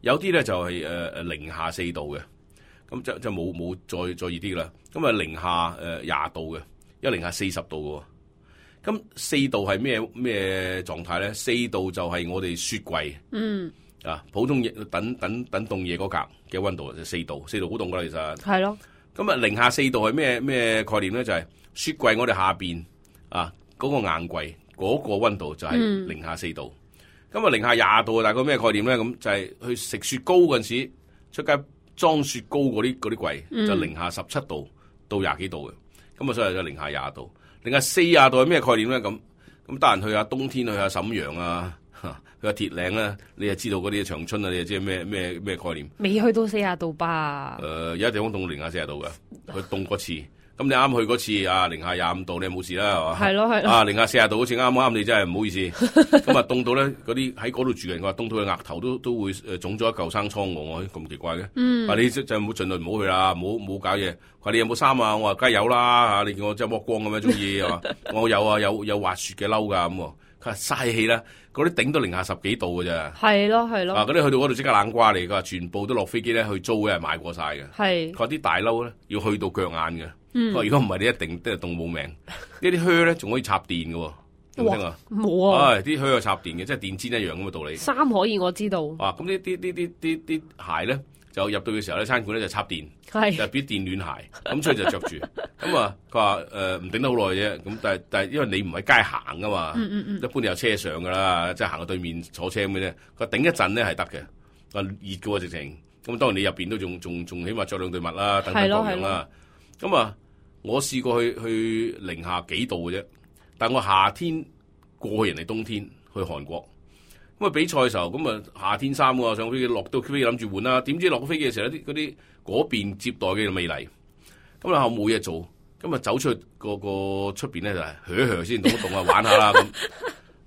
有啲咧就係誒誒零下四度嘅，咁就就冇冇再再熱啲啦。咁啊零下誒廿度嘅，有零下四十度嘅。咁四度係咩咩狀態咧？四度就係我哋雪櫃，嗯啊普通嘢等等等凍嘢嗰格嘅溫度就四度，四度好凍噶啦，其實係咯。咁啊零下四度係咩咩概念咧？就係、是、雪櫃我哋下邊啊嗰、那個硬櫃嗰、那個溫度就係零下四度。咁啊零下廿度大概咩概念咧？咁就係去食雪糕嗰陣時，出街裝雪糕嗰啲嗰啲櫃、嗯、就零下十七度到廿幾度嘅。咁啊所以就零下廿度，零下四十度係咩概念咧？咁咁得閒去下冬天去下瀋陽啊，去下鐵嶺啦，你就知道嗰啲長春啊，你就知咩咩咩概念？未去到四十度吧？誒、呃，有一地方凍到零下四十度嘅，佢凍過次。咁你啱去嗰次啊，零下廿五度，你冇事啦，係嘛？係咯係咯。啊，零下四十度好似啱啱你真係唔好意思。咁啊，凍到咧，嗰啲喺嗰度住嘅人話，凍到佢額頭都都會誒腫咗一嚿生瘡喎，我咁奇怪嘅。嗯。話你就就冇盡量唔好去啦，唔好唔好搞嘢。話你有冇衫啊？我話梗係有啦嚇，你見我真係剝光咁樣中意係嘛？我有啊，有有滑雪嘅褸㗎咁喎。佢話嘥氣啦，嗰啲頂到零下十幾度㗎咋。係咯係咯。啊，嗰啲去到嗰度即刻冷瓜嚟，佢話全部都落飛機咧去租嘅，買過晒嘅。係。佢話啲大褸咧要去到腳眼嘅。嗯，如果唔係你一定都係凍冇命。呢啲靴咧仲可以插電嘅，有冇聽啊？冇啊！唉，啲靴係插電嘅，即係電氈一樣咁嘅道理。衫可以我知道。啊，咁呢啲啲啲啲啲鞋咧，就入到嘅時候咧，餐館咧就插電，係就變電暖鞋，咁所以就着住。咁啊，佢話誒唔頂得好耐啫。咁但係但係因為你唔喺街行噶嘛，嗯嗯嗯，一般有車上噶啦，即係行到對面坐車咁嘅啫。佢話頂一陣咧係得嘅，啊熱嘅喎直情。咁當然你入邊都仲仲仲起碼着兩對襪啦，等等各樣啦。咁啊，我試過去去零下幾度嘅啫，但我夏天過去人哋冬天去韓國，咁啊比賽嘅時候，咁啊夏天衫喎，上飛機落到飛機諗住換啦，點知落咗飛機嘅時候，啲嗰啲嗰邊接待嘅未嚟，咁啊後冇嘢做，咁啊走出去個個出邊咧就係噓噓先，動一動啊玩下啦咁，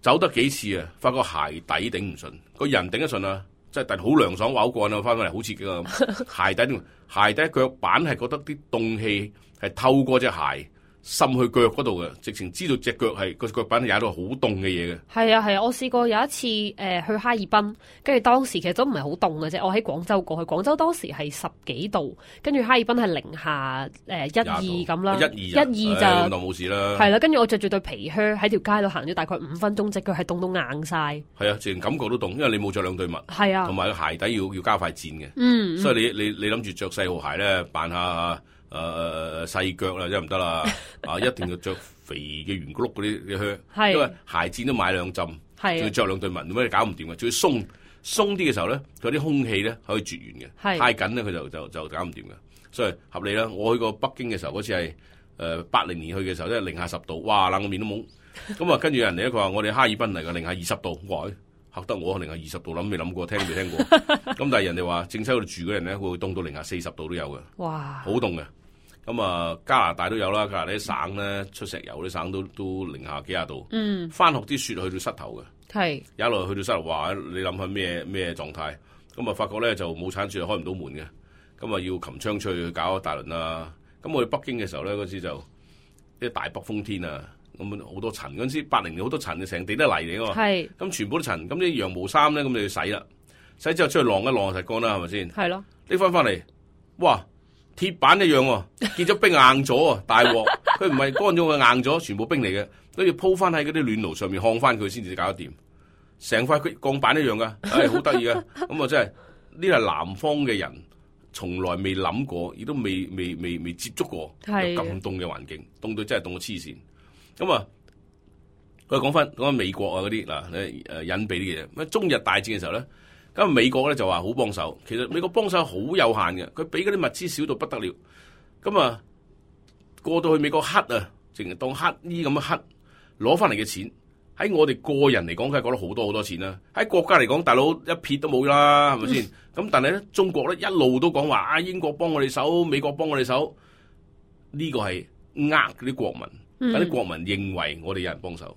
走得幾次啊，發覺鞋底頂唔順，個人頂得順啊。即係但係好涼爽，滑好乾啊！翻返嚟好刺激啊！鞋底鞋底腳板係覺得啲凍氣係透過隻鞋滲去腳嗰度嘅，直情知道隻腳係個腳板係踩到好凍嘅嘢嘅。係啊係啊，我試過有一次誒、呃、去哈爾濱，跟住當時其實都唔係好凍嘅啫。我喺廣州過去，廣州當時係十幾度，跟住哈爾濱係零下誒一二咁啦，一二一二就咁就冇事啦。係啦，跟住我着住對皮靴喺條街度行咗大概五分鐘，隻腳係凍到硬晒。係啊，自然感覺都凍，因為你冇着兩對襪。係啊，同埋個鞋底要要加快墊嘅。嗯，所以你你你諗住着細號鞋咧，扮下。誒誒誒細腳啦，真係唔得啦！啊，一定要着肥嘅圓碌嗰啲嘅靴，因為鞋墊都買兩浸，仲要着兩對襪，咁你搞唔掂嘅。仲要鬆鬆啲嘅時候咧，佢啲空氣咧可以絕緣嘅，太緊咧佢就就就搞唔掂嘅。所以合理啦。我去過北京嘅時候，嗰次係誒八零年去嘅時候，即係零下十度，哇冷個面都懵。咁啊，跟住人哋咧，佢話我哋哈爾濱嚟嘅零下二十度，哇！嚇得我零下二十度，諗未諗過，聽都未聽過。咁但係人哋話，正西嗰度住嘅人咧，會凍到零下四十度都有嘅，哇！好凍嘅。咁啊，加拿大都有啦，加拿大啲省咧出石油啲省都都零下幾廿度。嗯，翻學啲雪去到膝頭嘅，係一路去到膝頭，話你諗下咩咩狀態？咁啊，發覺咧就冇鏟雪開唔到門嘅，咁啊要擒窗出去搞一大輪啦。咁我去北京嘅時候咧，嗰時就啲大北風天啊，咁好多塵。嗰陣時八零年好多塵，成地都係泥嚟㗎嘛。係，咁全部都塵。咁啲羊毛衫咧，咁你要洗啦，洗之後出去晾一晾就乾啦，係咪先？係咯。拎翻翻嚟，哇！鐵板一樣喎，結咗冰硬咗啊！大鑊，佢唔係乾咗嘅硬咗，全部冰嚟嘅，跟住鋪翻喺嗰啲暖爐上面烘翻佢先至搞得掂，成塊佢鋼板一樣噶，唉、哎，好得意噶，咁啊真係呢係南方嘅人從來未諗過，亦都未未未未接觸過有咁凍嘅環境，凍到真係凍到黐線。咁啊，佢講翻講翻美國啊嗰啲嗱誒誒隱蔽啲嘅嘢，咁中日大戰嘅時候咧。咁美國咧就話好幫手，其實美國幫手好有限嘅，佢俾嗰啲物資少到不得了。咁啊，過到去美國黑啊，淨係當黑衣咁樣黑，攞翻嚟嘅錢喺我哋個人嚟講，梗係講得好多好多錢啦。喺國家嚟講，大佬一撇都冇啦，係咪先？咁但係咧，中國咧一路都講話啊，英國幫我哋手，美國幫我哋手，呢個係呃嗰啲國民，等啲國民認為我哋有人幫手。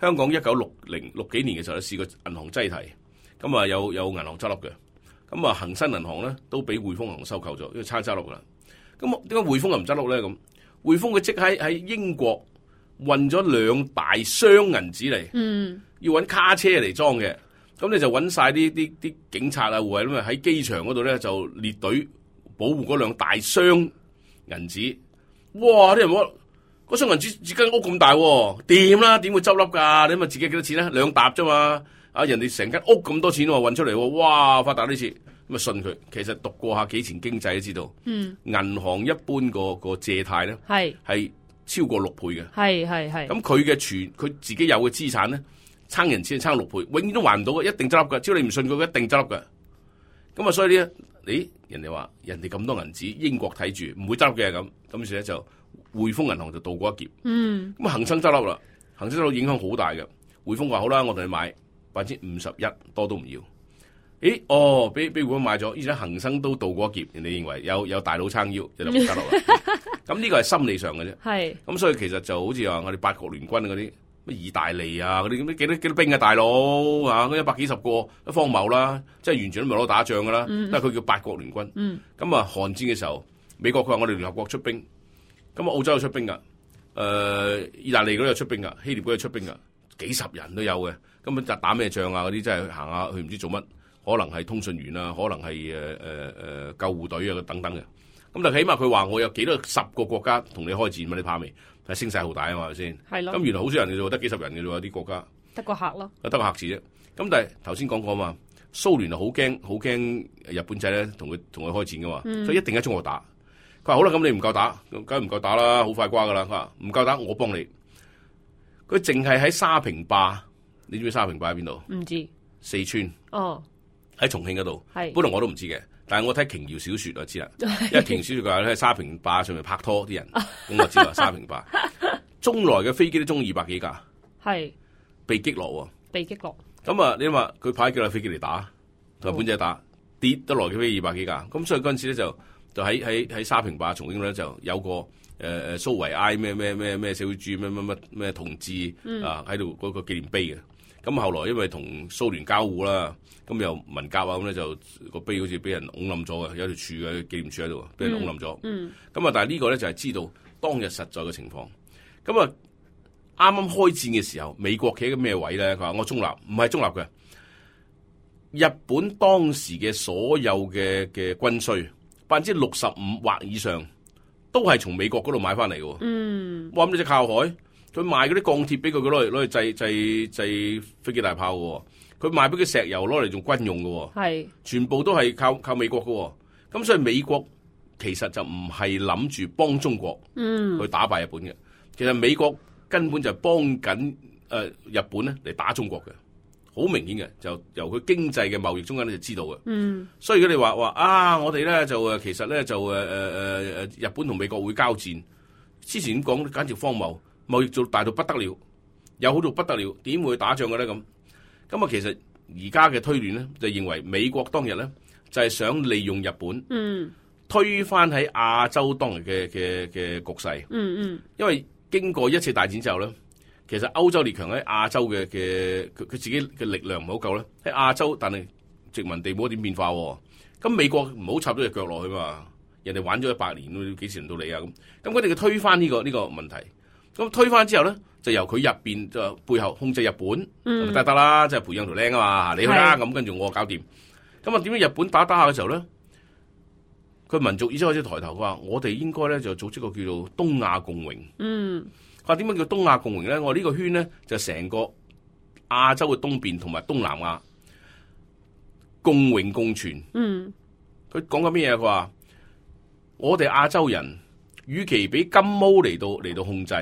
香港一九六零六幾年嘅時候咧，試過銀行擠提。咁啊有有銀行執笠嘅，咁啊恒生銀行咧都俾匯豐銀行收購咗，因為差執笠噶啦。咁點解匯豐又唔執笠咧？咁匯豐佢即喺喺英國運咗兩大箱銀紙嚟，嗯，要搵卡車嚟裝嘅。咁你就搵晒啲啲啲警察啊護衛咁啊喺機場嗰度咧就列隊保護嗰兩大箱銀紙。哇！啲人話嗰箱銀紙自間屋咁大，掂啦，點會執笠噶？你咪自己幾多錢咧？兩沓啫嘛。啊！人哋成間屋咁多錢喎，運出嚟喎，哇！發達呢次咁啊，信佢。其實讀過下幾錢經濟都知道，嗯，銀行一般個個借貸咧係係超過六倍嘅，係係係。咁佢嘅存佢自己有嘅資產咧，撐人錢撐六倍，永遠都還唔到嘅，一定執笠㗎。只要你唔信佢，佢一定執笠㗎。咁啊，所以咧，咦？人哋話人哋咁多銀紙，英國睇住唔會執笠嘅咁，咁於是咧就匯豐銀行就渡過一劫。嗯，咁啊，恒生執笠啦，恒生執笠影響好大嘅。匯豐話好啦，我同你買。百分之五十一多都唔要，咦？哦，俾俾匯豐買咗，而且恒生都渡過一劫，人哋認為有有大佬撐腰，就唔得落啦。咁呢個係心理上嘅啫。係。咁所以其實就好似話我哋八國聯軍嗰啲咩意大利啊嗰啲咁，幾多幾多兵啊大佬啊，嗰一百幾十個都荒謬啦，即係完全都唔係攞打仗噶啦。嗯。但係佢叫八國聯軍。嗯。咁啊，韓戰嘅時候，美國佢話我哋聯合國出兵，咁啊澳洲有出兵噶，誒、呃，意大利嗰度有出兵噶，希臘嗰度有出兵噶，幾十人都有嘅。根本就打咩仗啊？嗰啲真係行下去唔知做乜，可能係通訊員啊，可能係誒誒誒救護隊啊等等嘅。咁但係起碼佢話我有幾多十個國家同你開戰嘛？你怕未？係聲勢浩大啊嘛，係咪先？係咯。咁原來好少人嘅啫，得幾十人嘅啫，有啲國家得個客咯，得個客字啫。咁但係頭先講過嘛，蘇聯就好驚好驚日本仔咧同佢同佢開戰噶嘛，嗯、所以一定喺中國打。佢話好啦，咁你唔夠打，梗係唔夠打啦，好快瓜噶啦。佢話唔夠打，我幫你。佢淨係喺沙坪壩。你知唔知沙坪壩喺邊度？唔知。四川。哦。喺重慶嗰度。係。本來我都唔知嘅，但係我睇瓊瑤小說我知啦。因為瓊瑤小說佢話咧喺沙坪壩上面拍拖啲人，咁我知啦。沙坪壩。中來嘅飛機都中二百幾架。係。被擊落喎。被擊落。咁啊，你話佢派幾架飛機嚟打，同日本仔打，哦、跌得來嘅飛機二百幾架，咁所以嗰陣時咧就就喺喺喺沙坪壩重慶咧就有個。誒、呃、誒蘇維埃咩咩咩咩社會主義咩乜乜咩同志、嗯、啊喺度嗰個紀念碑嘅，咁後來因為同蘇聯交惡啦，咁又文革啊咁咧就個碑好似俾人拱冧咗嘅，有條柱嘅紀念柱喺度，俾人拱冧咗。咁、嗯、啊，但係呢個咧就係知道當日實在嘅情況。咁啊，啱啱開戰嘅時候，美國企喺個咩位咧？佢話我中立，唔係中立嘅。日本當時嘅所有嘅嘅軍需，百分之六十五或以上。都係從美國嗰度買翻嚟嘅，嗯，哇咁你只靠海，佢賣嗰啲鋼鐵俾佢，佢攞嚟攞嚟製製製飛機大炮嘅，佢賣俾佢石油攞嚟做軍用嘅，係，全部都係靠靠美國嘅，咁所以美國其實就唔係諗住幫中國，嗯，去打敗日本嘅，其實美國根本就係幫緊誒日本咧嚟打中國嘅。好明顯嘅，就由佢經濟嘅貿易中間咧就知道嘅。嗯，所以如果你話話啊，我哋咧就誒其實咧就誒誒誒誒日本同美國會交戰，之前講簡直荒謬，貿易做大到不得了，有好到不得了，點會打仗嘅咧咁？咁啊，其實而家嘅推斷咧就認為美國當日咧就係想利用日本，嗯，推翻喺亞洲當日嘅嘅嘅局勢。嗯嗯，因為經過一次大戰之後咧。其實歐洲列強喺亞洲嘅嘅佢佢自己嘅力量唔係好夠咧，喺亞洲但係殖民地冇點變化喎。咁美國唔好插咗隻腳落去嘛，人哋玩咗一百年，幾時輪到你啊咁？咁佢哋要推翻呢個呢個問題，咁推翻之後咧，就由佢入邊就背後控制日本，嗯，得得啦，即係培養條僆啊嘛，你去啦，咁跟住我搞掂。咁啊點解日本打打下嘅時候咧，佢民族意識開始抬頭，佢話我哋應該咧就組織個叫做東亞共榮。嗯，佢話點解叫東亞共榮咧？我呢個圈咧就成個亞洲嘅東邊同埋東南亞共榮共存。嗯，佢講緊咩嘢？佢話我哋亞洲人，與其俾金毛嚟到嚟到控制，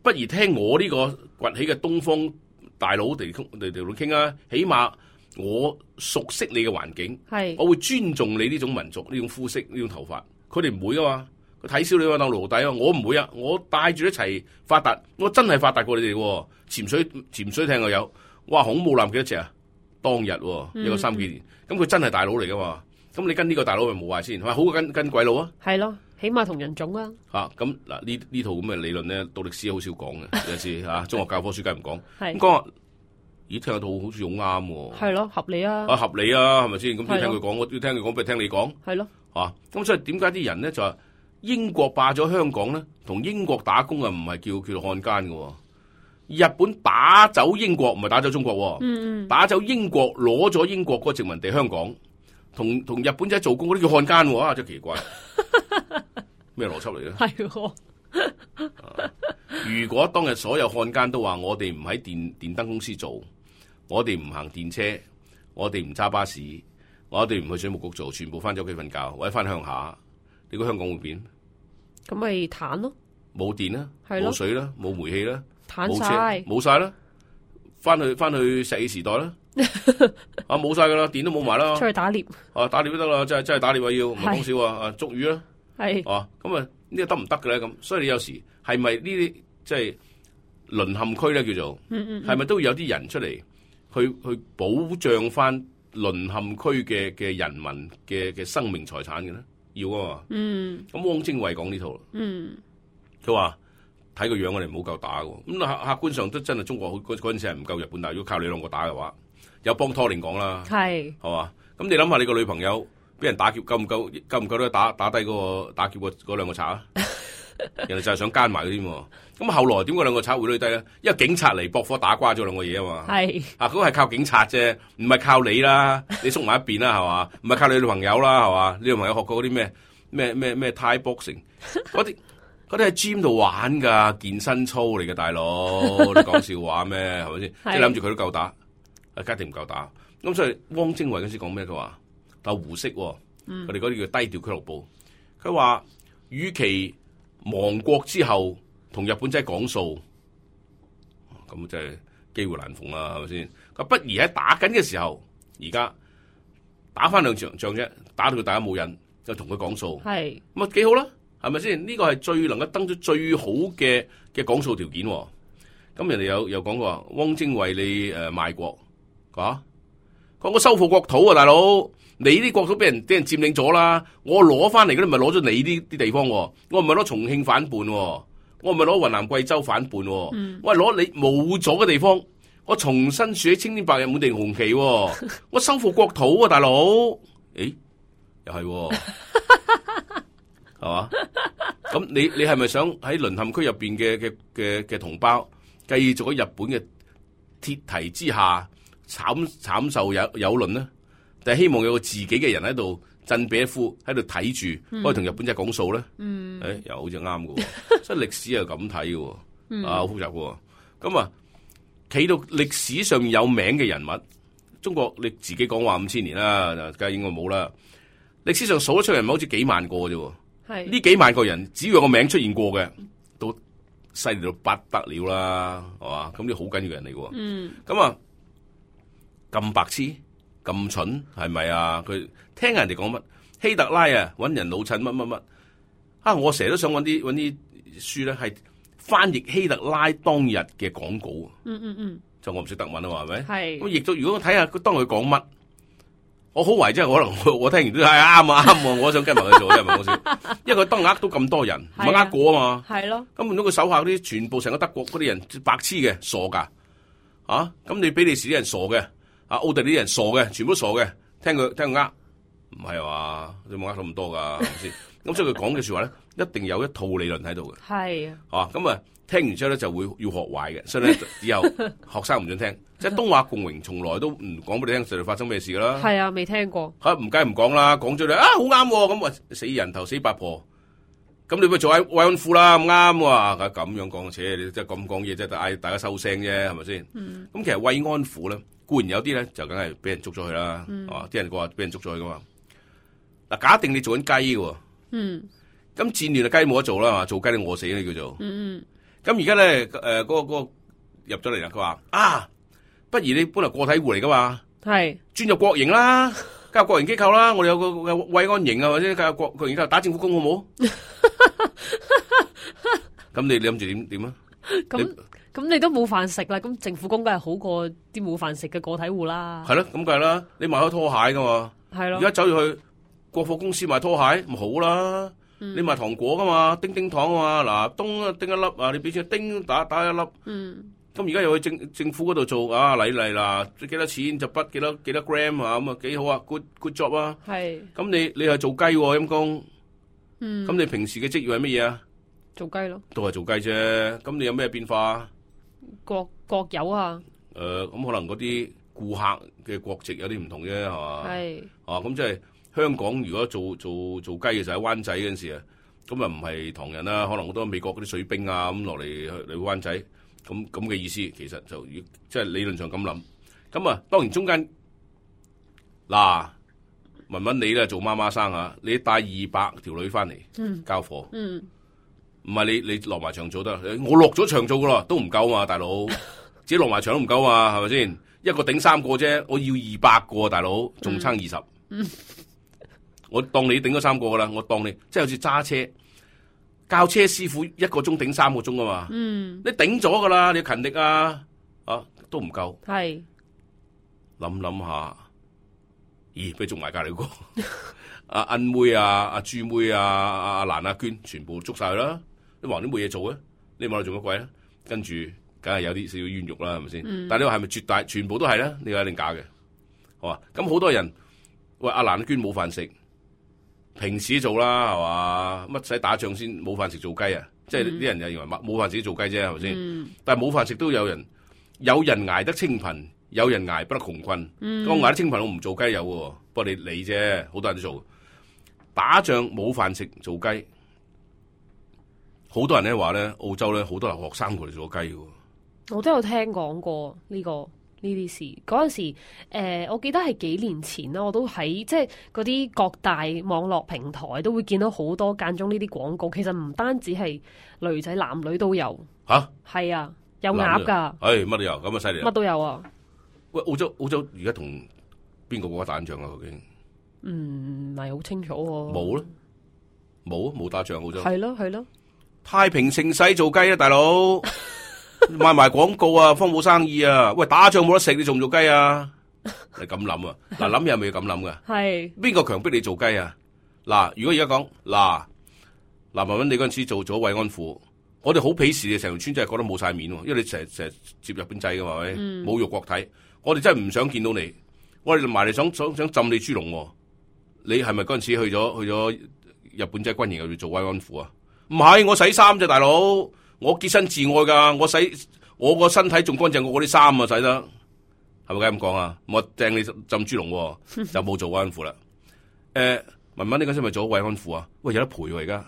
不如聽我呢個崛起嘅東方大佬嚟嚟嚟傾啊！起碼我熟悉你嘅環境，係我會尊重你呢種民族、呢種膚色、呢種頭髮。佢哋唔會噶嘛，佢睇小你話當奴隸啊！我唔會啊！我帶住一齊發達，我真係發達過你哋喎。潛水潛水艇又有，哇！航空母艦幾多隻啊？當日一個三幾年，咁佢、嗯、真係大佬嚟噶嘛？咁你跟呢個大佬咪冇壞先，係咪好過跟跟鬼佬啊？係咯，起碼同人種啊。嚇咁嗱呢呢套咁嘅理論咧，讀歷史好少講嘅，有時嚇中學教科書梗係唔講。咁講話，咦聽得到好似好啱喎。係咯，合理啊。啊合理啊，係咪先？咁要聽佢講，我要聽佢講，不如聽你講。係咯。嚇咁所以點解啲人咧就話英國霸咗香港咧，同英國打工啊唔係叫叫做漢奸嘅喎。日本打走英國唔係打走中國喎。嗯嗯。打走英國攞咗英國嗰個殖民地香港。同同日本仔做工嗰啲叫漢奸喎，啊真奇怪，咩邏輯嚟咧？係喎。如果當日所有漢奸都話我哋唔喺電電燈公司做，我哋唔行電車，我哋唔揸巴士，我哋唔去水務局做，全部翻咗屋企瞓覺或者翻鄉下，你估香港會變？咁咪攤咯，冇電啦，冇水啦，冇煤氣啦，冇車，冇晒啦，翻去翻去石器時代啦。啊冇晒噶啦，電都冇埋啦，出去打獵啊，打獵都得啦，真係真係打獵啊要，唔係講笑啊，啊捉魚啦，係啊咁啊呢個得唔得嘅咧？咁所以你有時係咪呢啲即係淪陷區咧叫做，係咪都要有啲人出嚟去去保障翻淪陷區嘅嘅人民嘅嘅生命財產嘅咧？要啊嘛，嗯，咁汪精衛講呢套，嗯，佢話睇個樣我哋唔好夠打嘅，咁客客觀上都真係中國嗰嗰陣時係唔夠日本打，如果靠你兩個打嘅話。有幫拖連講啦，係係嘛？咁你諗下，你個女朋友俾人打劫，夠唔夠？夠唔夠咧？打打低嗰個打劫個嗰兩個賊啊！人哋就係想奸埋佢添。咁後來點解兩個賊會攞低咧？因為警察嚟駁火打瓜咗兩個嘢啊嘛。係啊，嗰個係靠警察啫，唔係靠你啦。你縮埋一邊啦，係嘛？唔係靠你女朋友啦，係嘛？你女朋友學過嗰啲咩咩咩咩 Thai boxing 嗰啲嗰啲喺 gym 度玩噶，健身操嚟嘅大佬，你講笑話咩？係咪先？即係諗住佢都夠打。家庭唔夠打，咁所以汪精衛嗰時講咩？佢話鬥胡適，佢哋嗰啲叫低調俱樂部。佢話，與其亡國之後同日本仔講數，咁即係機會難逢啦，係咪先？佢不如喺打緊嘅時候，而家打翻兩場仗啫，打到佢大家冇癮，就同佢講數，係咁啊幾好啦，係咪先？呢個係最能夠登出最好嘅嘅講數條件。咁人哋有有講過話，汪精衛你誒賣國。啊！講我收復國土啊，大佬，你啲國土俾人俾人佔領咗啦，我攞翻嚟嗰啲咪攞咗你啲啲地方，我唔係攞重慶反叛，我唔係攞雲南貴州反叛，嗯、我係攞你冇咗嘅地方，我重新豎起青天白日滿地紅旗，我收復國土啊，大佬，誒，又係，係嘛？咁你你係咪想喺淪陷區入邊嘅嘅嘅嘅同胞繼續喺日本嘅鐵蹄之下？慘慘受有有論呢，但係希望有個自己嘅人喺度振臂一呼，喺度睇住，可以同日本仔講數咧。嗯，誒、哎，又好似啱嘅，所以歷史係咁睇嘅，啊，好複雜嘅。咁啊，企到歷史上面有名嘅人物，中國你自己講話五千年啦，梗係應該冇啦。歷史上數得出人物好似幾萬個啫，係呢幾萬個人，只要有個名出現過嘅，都犀利到不得了啦，係嘛？咁啲好緊要嘅人嚟嘅。嗯，咁啊。咁白痴咁蠢係咪啊？佢聽人哋講乜希特拉啊，搵人老襯乜乜乜啊！我成日都想搵啲搵啲書咧，係翻譯希特拉當日嘅講稿。嗯嗯嗯，就我唔識德文啊嘛，係咪？係咁譯咗。如果我睇下佢當佢講乜，我好懷疑，即係可能我我聽完都係啱啊啱，我想跟埋佢做，真係唔係講笑。因為佢當呃到咁多人，唔係呃過啊嘛。係咯。咁唔通佢手下啲全部成個德國嗰啲人白痴嘅傻噶啊？咁你比利時啲人傻嘅？啊！奧地利啲人傻嘅，全部都傻嘅，聽佢聽佢呃，唔係話你冇呃咁多噶，係咪先？咁所以佢講嘅說話咧，一定有一套理論喺度嘅。係啊，咁啊，聽完之後咧就會要學壞嘅，所以咧以後學生唔准聽。即係東亞共榮，從來都唔講俾你聽，實際發生咩事噶啦。係啊，未聽過。吓唔梗係唔講啦，講咗你啊好啱，咁啊死人頭死八婆，咁你咪做慰安婦啦，唔啱喎。咁樣講，且你即係咁講嘢，即係嗌大家收聲啫，係咪先？咁、嗯、其實慰安婦咧，固然有啲咧就梗係俾人捉咗去啦，係嘛、嗯？啲人話俾人捉咗去噶嘛。嗱，假定你做緊雞嘅，嗯，咁戰亂嘅雞冇得做啦，係嘛？做雞你餓死你叫做，嗯，咁而家咧誒嗰個、嗰個入咗嚟啦，佢話啊。不如你本來個體戶嚟噶嘛，係轉入國營啦，加入國營機構啦，我哋有個個慰安營啊，或者加入國國營機構打政府工好唔好？咁你你諗住點點啊？咁咁你都冇飯食啦，咁政府工梗係好過啲冇飯食嘅個體戶啦。係咯，咁梗係啦，你賣開拖鞋噶嘛，係咯，而家走入去國貨公司賣拖鞋咪好啦，嗯、你賣糖果噶嘛，叮叮糖啊嘛，嗱叮啊叮一粒啊，你俾錢叮打打一粒，嗯。咁而家又去政政府嗰度做啊禮禮啦，幾多錢就筆幾多幾多 gram 啊，咁啊幾好啊 good good job 啊。係。咁你你係做雞喎陰公。嗯。咁你平時嘅職業係乜嘢啊？做雞咯。都係做雞啫。咁你有咩變化啊？各各有啊。誒、呃，咁可能嗰啲顧客嘅國籍有啲唔同啫，係嘛？係。啊，咁即係香港如果做做做雞嘅時候喺灣仔嗰陣時啊，咁啊唔係唐人啦，可能好多美國嗰啲水兵啊咁落嚟嚟灣仔。咁咁嘅意思，其實就即係理論上咁諗。咁啊，當然中間嗱，文文你咧做媽媽生啊，你帶二百條女翻嚟、嗯、交貨，唔、嗯、係你你落埋場做得，我落咗場做噶啦，都唔夠嘛，大佬，自己落埋場都唔夠嘛，係咪先？一個頂三個啫，我要二百個，大佬仲差二十，我當你頂咗三個噶啦，我當你即係好似揸車。教車師傅一個鐘頂三個鐘啊嘛，嗯、你頂咗噶啦，你要勤力啊，啊都唔夠，係諗諗下，咦俾捉埋隔籬個阿恩妹啊、阿朱妹啊、阿蘭阿娟，全部捉晒啦，你話你冇嘢做啊，你問我做乜鬼啊？跟住梗係有啲少少冤獄啦，係咪先？嗯、但係你話係咪絕大全部都係咧？你話一定假嘅，好嘛？咁好多人喂阿蘭阿娟冇飯食。平時做啦，係嘛？乜使打仗先冇飯食做雞啊？嗯、即係啲人就認為冇冇飯食做雞啫，係咪先？嗯、但係冇飯食都有人，有人捱得清貧，有人捱不得窮困。嗯、我捱得清貧，我唔做雞有嘅，不過你你啫，好多人都做。打仗冇飯食做雞，好多人咧話咧，澳洲咧好多留學生過嚟做雞嘅。我都有聽講過呢、這個。呢啲事嗰陣時，誒、呃，我記得係幾年前啦，我都喺即係嗰啲各大網絡平台都會見到好多間中呢啲廣告。其實唔單止係女仔，男女都有。吓？係啊，有鴨噶。誒，乜都有，咁啊犀利。乜都有啊。喂，澳洲澳洲而家同邊個國家打仗啊？究竟？嗯，唔係好清楚。冇咯，冇冇打仗澳洲。係咯係咯。太平盛世做雞啊，大佬！賣埋廣告啊，方冇生意啊！喂，打仗冇得食，你做唔做雞啊？你咁諗啊？嗱，諗嘢係咪要咁諗噶？係邊個強迫你做雞啊？嗱，如果而家講嗱嗱文文，你嗰陣時做咗慰安婦，我哋好鄙視你，成條村真係覺得冇晒面，因為你成日成日接日本仔噶嘛，係咪？嗯、侮辱國體，我哋真係唔想見到你，我哋埋嚟想想想浸你豬籠，你係咪嗰陣時去咗去咗日本仔軍營入邊做慰安婦啊？唔係，我洗衫啫，大佬。我潔身自愛噶，我洗我個身體仲乾淨過我啲衫啊，洗得係咪咁講啊？我掟你浸豬籠就冇做慰安婦啦。誒、呃，文文你嗰陣咪做慰安婦啊？喂，有得賠喎而家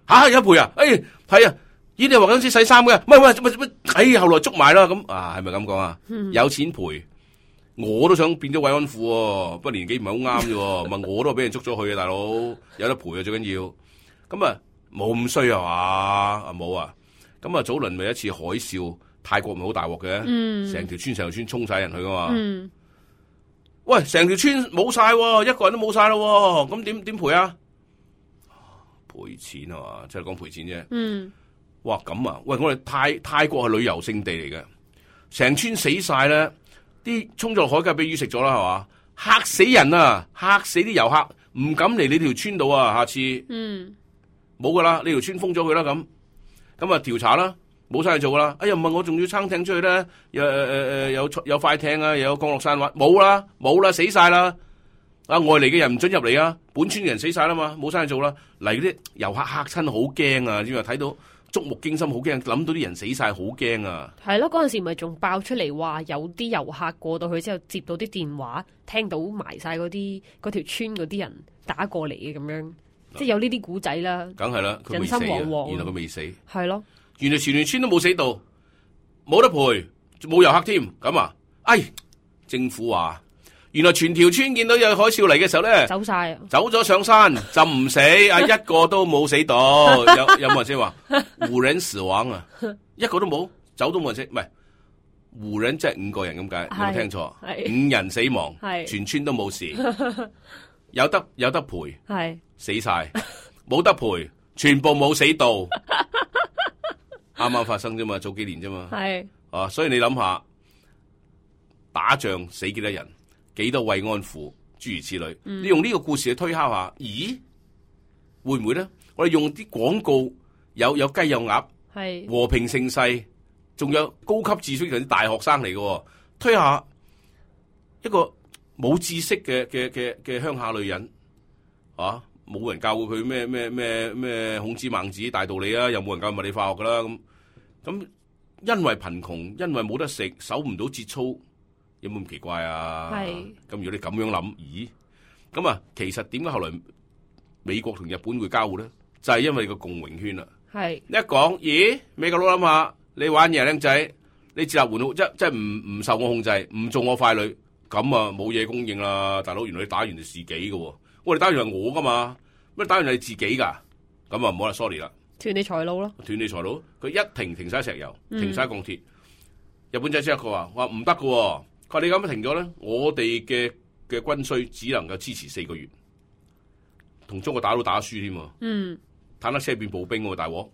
吓，有得賠啊？誒，係啊，咦你話嗰陣時洗衫嘅，唔係喂喂喂，哎，後來捉埋啦，咁啊係咪咁講啊？有錢賠，我都想變咗慰安婦，不過年紀唔係好啱啫。問我都俾人捉咗去啊，大佬有得賠啊，最緊要。咁啊冇咁衰啊嘛？啊冇啊。咁啊，早輪咪一次海嘯，泰國咪好大鑊嘅，成條、嗯、村成條村衝晒人去噶嘛。嗯、喂，成條村冇晒，一個人都冇晒咯，咁點點賠啊？賠錢啊嘛，即係講賠錢啫。嗯，哇，咁啊，喂，我哋泰泰國係旅遊勝地嚟嘅，成村死晒咧，啲衝咗落海梗係俾魚食咗啦，係嘛？嚇死人啊！嚇死啲遊客，唔敢嚟你條村度啊！下次，嗯，冇噶啦，你條村封咗佢啦咁。咁啊調查啦，冇晒嘢做噶啦。哎呀，唔係我仲要撐艇出去咧，又誒誒誒有有快艇啊，又有降落傘話冇啦，冇啦，死晒啦。啊外嚟嘅人唔准入嚟啊，本村嘅人死晒啦嘛，冇生意做啦。嚟嗰啲遊客嚇親好驚啊，因為睇到觸目驚心，好驚，諗到啲人死晒好驚啊。係咯，嗰陣時咪仲爆出嚟話有啲遊客過到去之後接到啲電話，聽到埋晒嗰啲嗰條村嗰啲人打過嚟嘅咁樣，即係有呢啲古仔啦。梗係啦，佢未死啊，人心惶惶，原來佢未死。係咯，原來全條村都冇死到，冇得賠，冇遊客添。咁啊，哎，政府話原來全條村見到有海嘯嚟嘅時候咧，走晒，走咗上山就唔死，啊一個都冇死到。有有冇人先話無人死亡啊？一個都冇，走都冇人死，唔係無人即係五個人咁解，有冇聽錯？五人死亡，全村都冇事，有得有得賠，係死晒，冇得賠，全部冇死到，啱啱發生啫嘛，早幾年啫嘛，係啊，所以你諗下，打仗死幾多人？幾多慰安婦，諸如此類。嗯、你用呢個故事去推敲下，咦，會唔會咧？我哋用啲廣告，有有雞有鴨，係和平盛世，仲有高級知識嘅啲大學生嚟嘅，推下一個冇知識嘅嘅嘅嘅鄉下女人，啊，冇人教過佢咩咩咩咩孔子孟子大道理啊，又冇人教物理化學噶啦，咁咁因為貧窮，因為冇得食，守唔到節操。有冇咁奇怪啊？係咁，如果你咁樣諗，咦？咁啊，其實點解後來美國同日本會交互咧？就係、是、因為個共榮圈啦。係一講，咦？美國佬諗下，你玩嘢靚仔，你自立門戶，即即係唔唔受我控制，唔做我傀儡，咁啊冇嘢供應啦，大佬。原來你打完係自己嘅，我哋打完係我噶嘛，乜打完係自己噶，咁啊唔好啦 ，sorry 啦，斷你財路咯，斷你財路。佢一停停晒石油，停晒鋼鐵，嗯、日本仔即刻佢話話唔得嘅。佢話你咁樣停咗咧，我哋嘅嘅軍需只能夠支持四個月，同中國打都打輸添。嗯，坦克車變步兵喎，大鑊。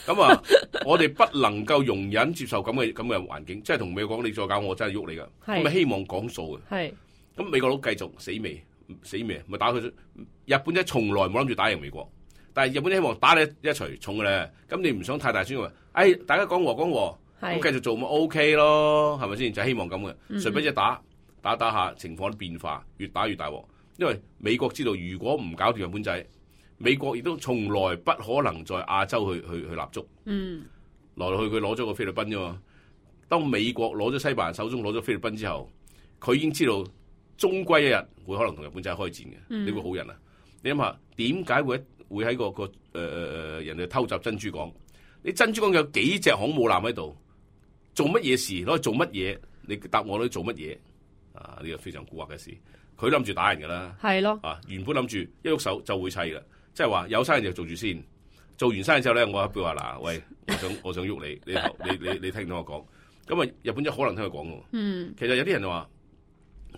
咁啊，我哋不能夠容忍接受咁嘅咁嘅環境，即係同美國講，你再搞我真係喐你噶。咁咪希望講數嘅。係。咁美國佬繼續死未死未，咪打佢。日本仔從來冇諗住打贏美國，但係日本仔希望打你一錘重嘅咧。咁你唔想太大聲話，哎，大家講和講和。咁繼續做咪 OK 咯，係咪先？就係、希望咁嘅，誰不知打打打下情況都變化，越打越大鑊。因為美國知道，如果唔搞掂日本仔，美國亦都從來不可能在亞洲去去去立足。嗯，來來去去攞咗個菲律賓啫嘛。當美國攞咗西班牙手中攞咗菲律賓之後，佢已經知道終歸一日會可能同日本仔開戰嘅。呢、嗯、個好人啊！你諗下，點解會會喺個個誒誒誒人哋偷襲珍珠港？你珍珠港有幾隻航母艦喺度？做乜嘢事攞去做乜嘢？你答我都做乜嘢？啊，呢個非常蠱惑嘅事。佢諗住打人噶啦，係咯。啊，原本諗住一喐手就會砌噶，即係話有生意就做住先。做完生意之後咧，我譬如話嗱，喂，我想我想喐你，你你你你聽唔聽我講？咁啊，日本仔可能聽佢講嘅。嗯。其實有啲人就話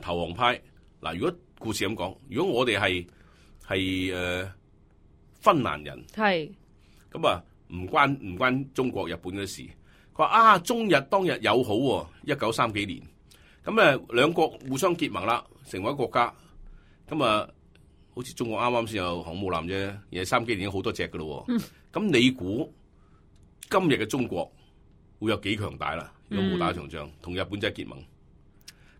投降派嗱，如果故事咁講，如果我哋係係誒芬蘭人，係咁啊，唔關唔關中國日本嘅事。佢話啊，中日當日友好喎、啊，一九三幾年，咁誒兩國互相結盟啦，成為一個國家，咁啊，好似中國啱啱先有航母艦啫，而係三幾年已經好多隻噶咯，咁、嗯、你估今日嘅中國會有幾強大啦？如果冇打場仗，同、嗯、日本仔結盟，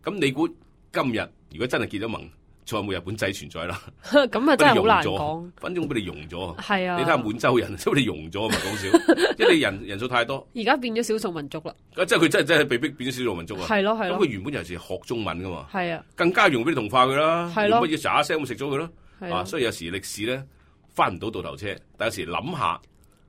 咁你估今日如果真係結咗盟？再冇日本仔存在啦，咁啊真係好難講。反正俾你融咗，係啊！你睇下滿洲人，都俾你融咗，唔係講笑。因為你人人數太多，而家變咗少數民族啦。即係佢真係真係被逼變咗少數民族啊！係咯係咯。咁佢原本就係學中文噶嘛，係啊，更加容易俾你同化佢啦。係咯，乜嘢喳聲咁食咗佢咯。啊，所以有時歷史咧翻唔到倒頭車，但有時諗下，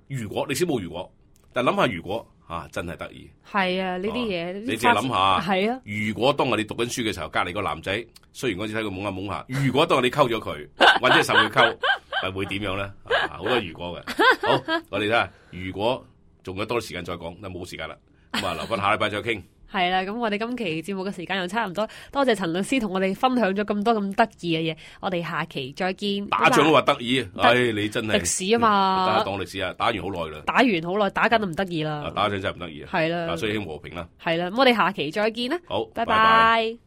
如果歷史冇如果，但諗下如果。啊！真係得意，係啊！呢啲嘢你自己諗下，係啊！如果當我哋讀緊書嘅時候，隔離個男仔，雖然嗰次睇佢懵下懵下，如果當我哋溝咗佢，或者受佢溝，係會點樣咧？好多如果嘅。好，我哋睇下，如果仲有多啲時間再講，但冇時間啦，咁啊留翻下禮拜再傾。係啦，咁我哋今期節目嘅時間又差唔多，多謝陳律師同我哋分享咗咁多咁得意嘅嘢，我哋下期再見。打仗都話得意，唉、哎，你真係歷史啊嘛，打當歷史啊，打完好耐啦，打完好耐，打緊都唔得意啦，打仗真係唔得意啊，係啦，所以希望和平啦，係啦，咁我哋下期再見啦，好，拜拜。拜拜。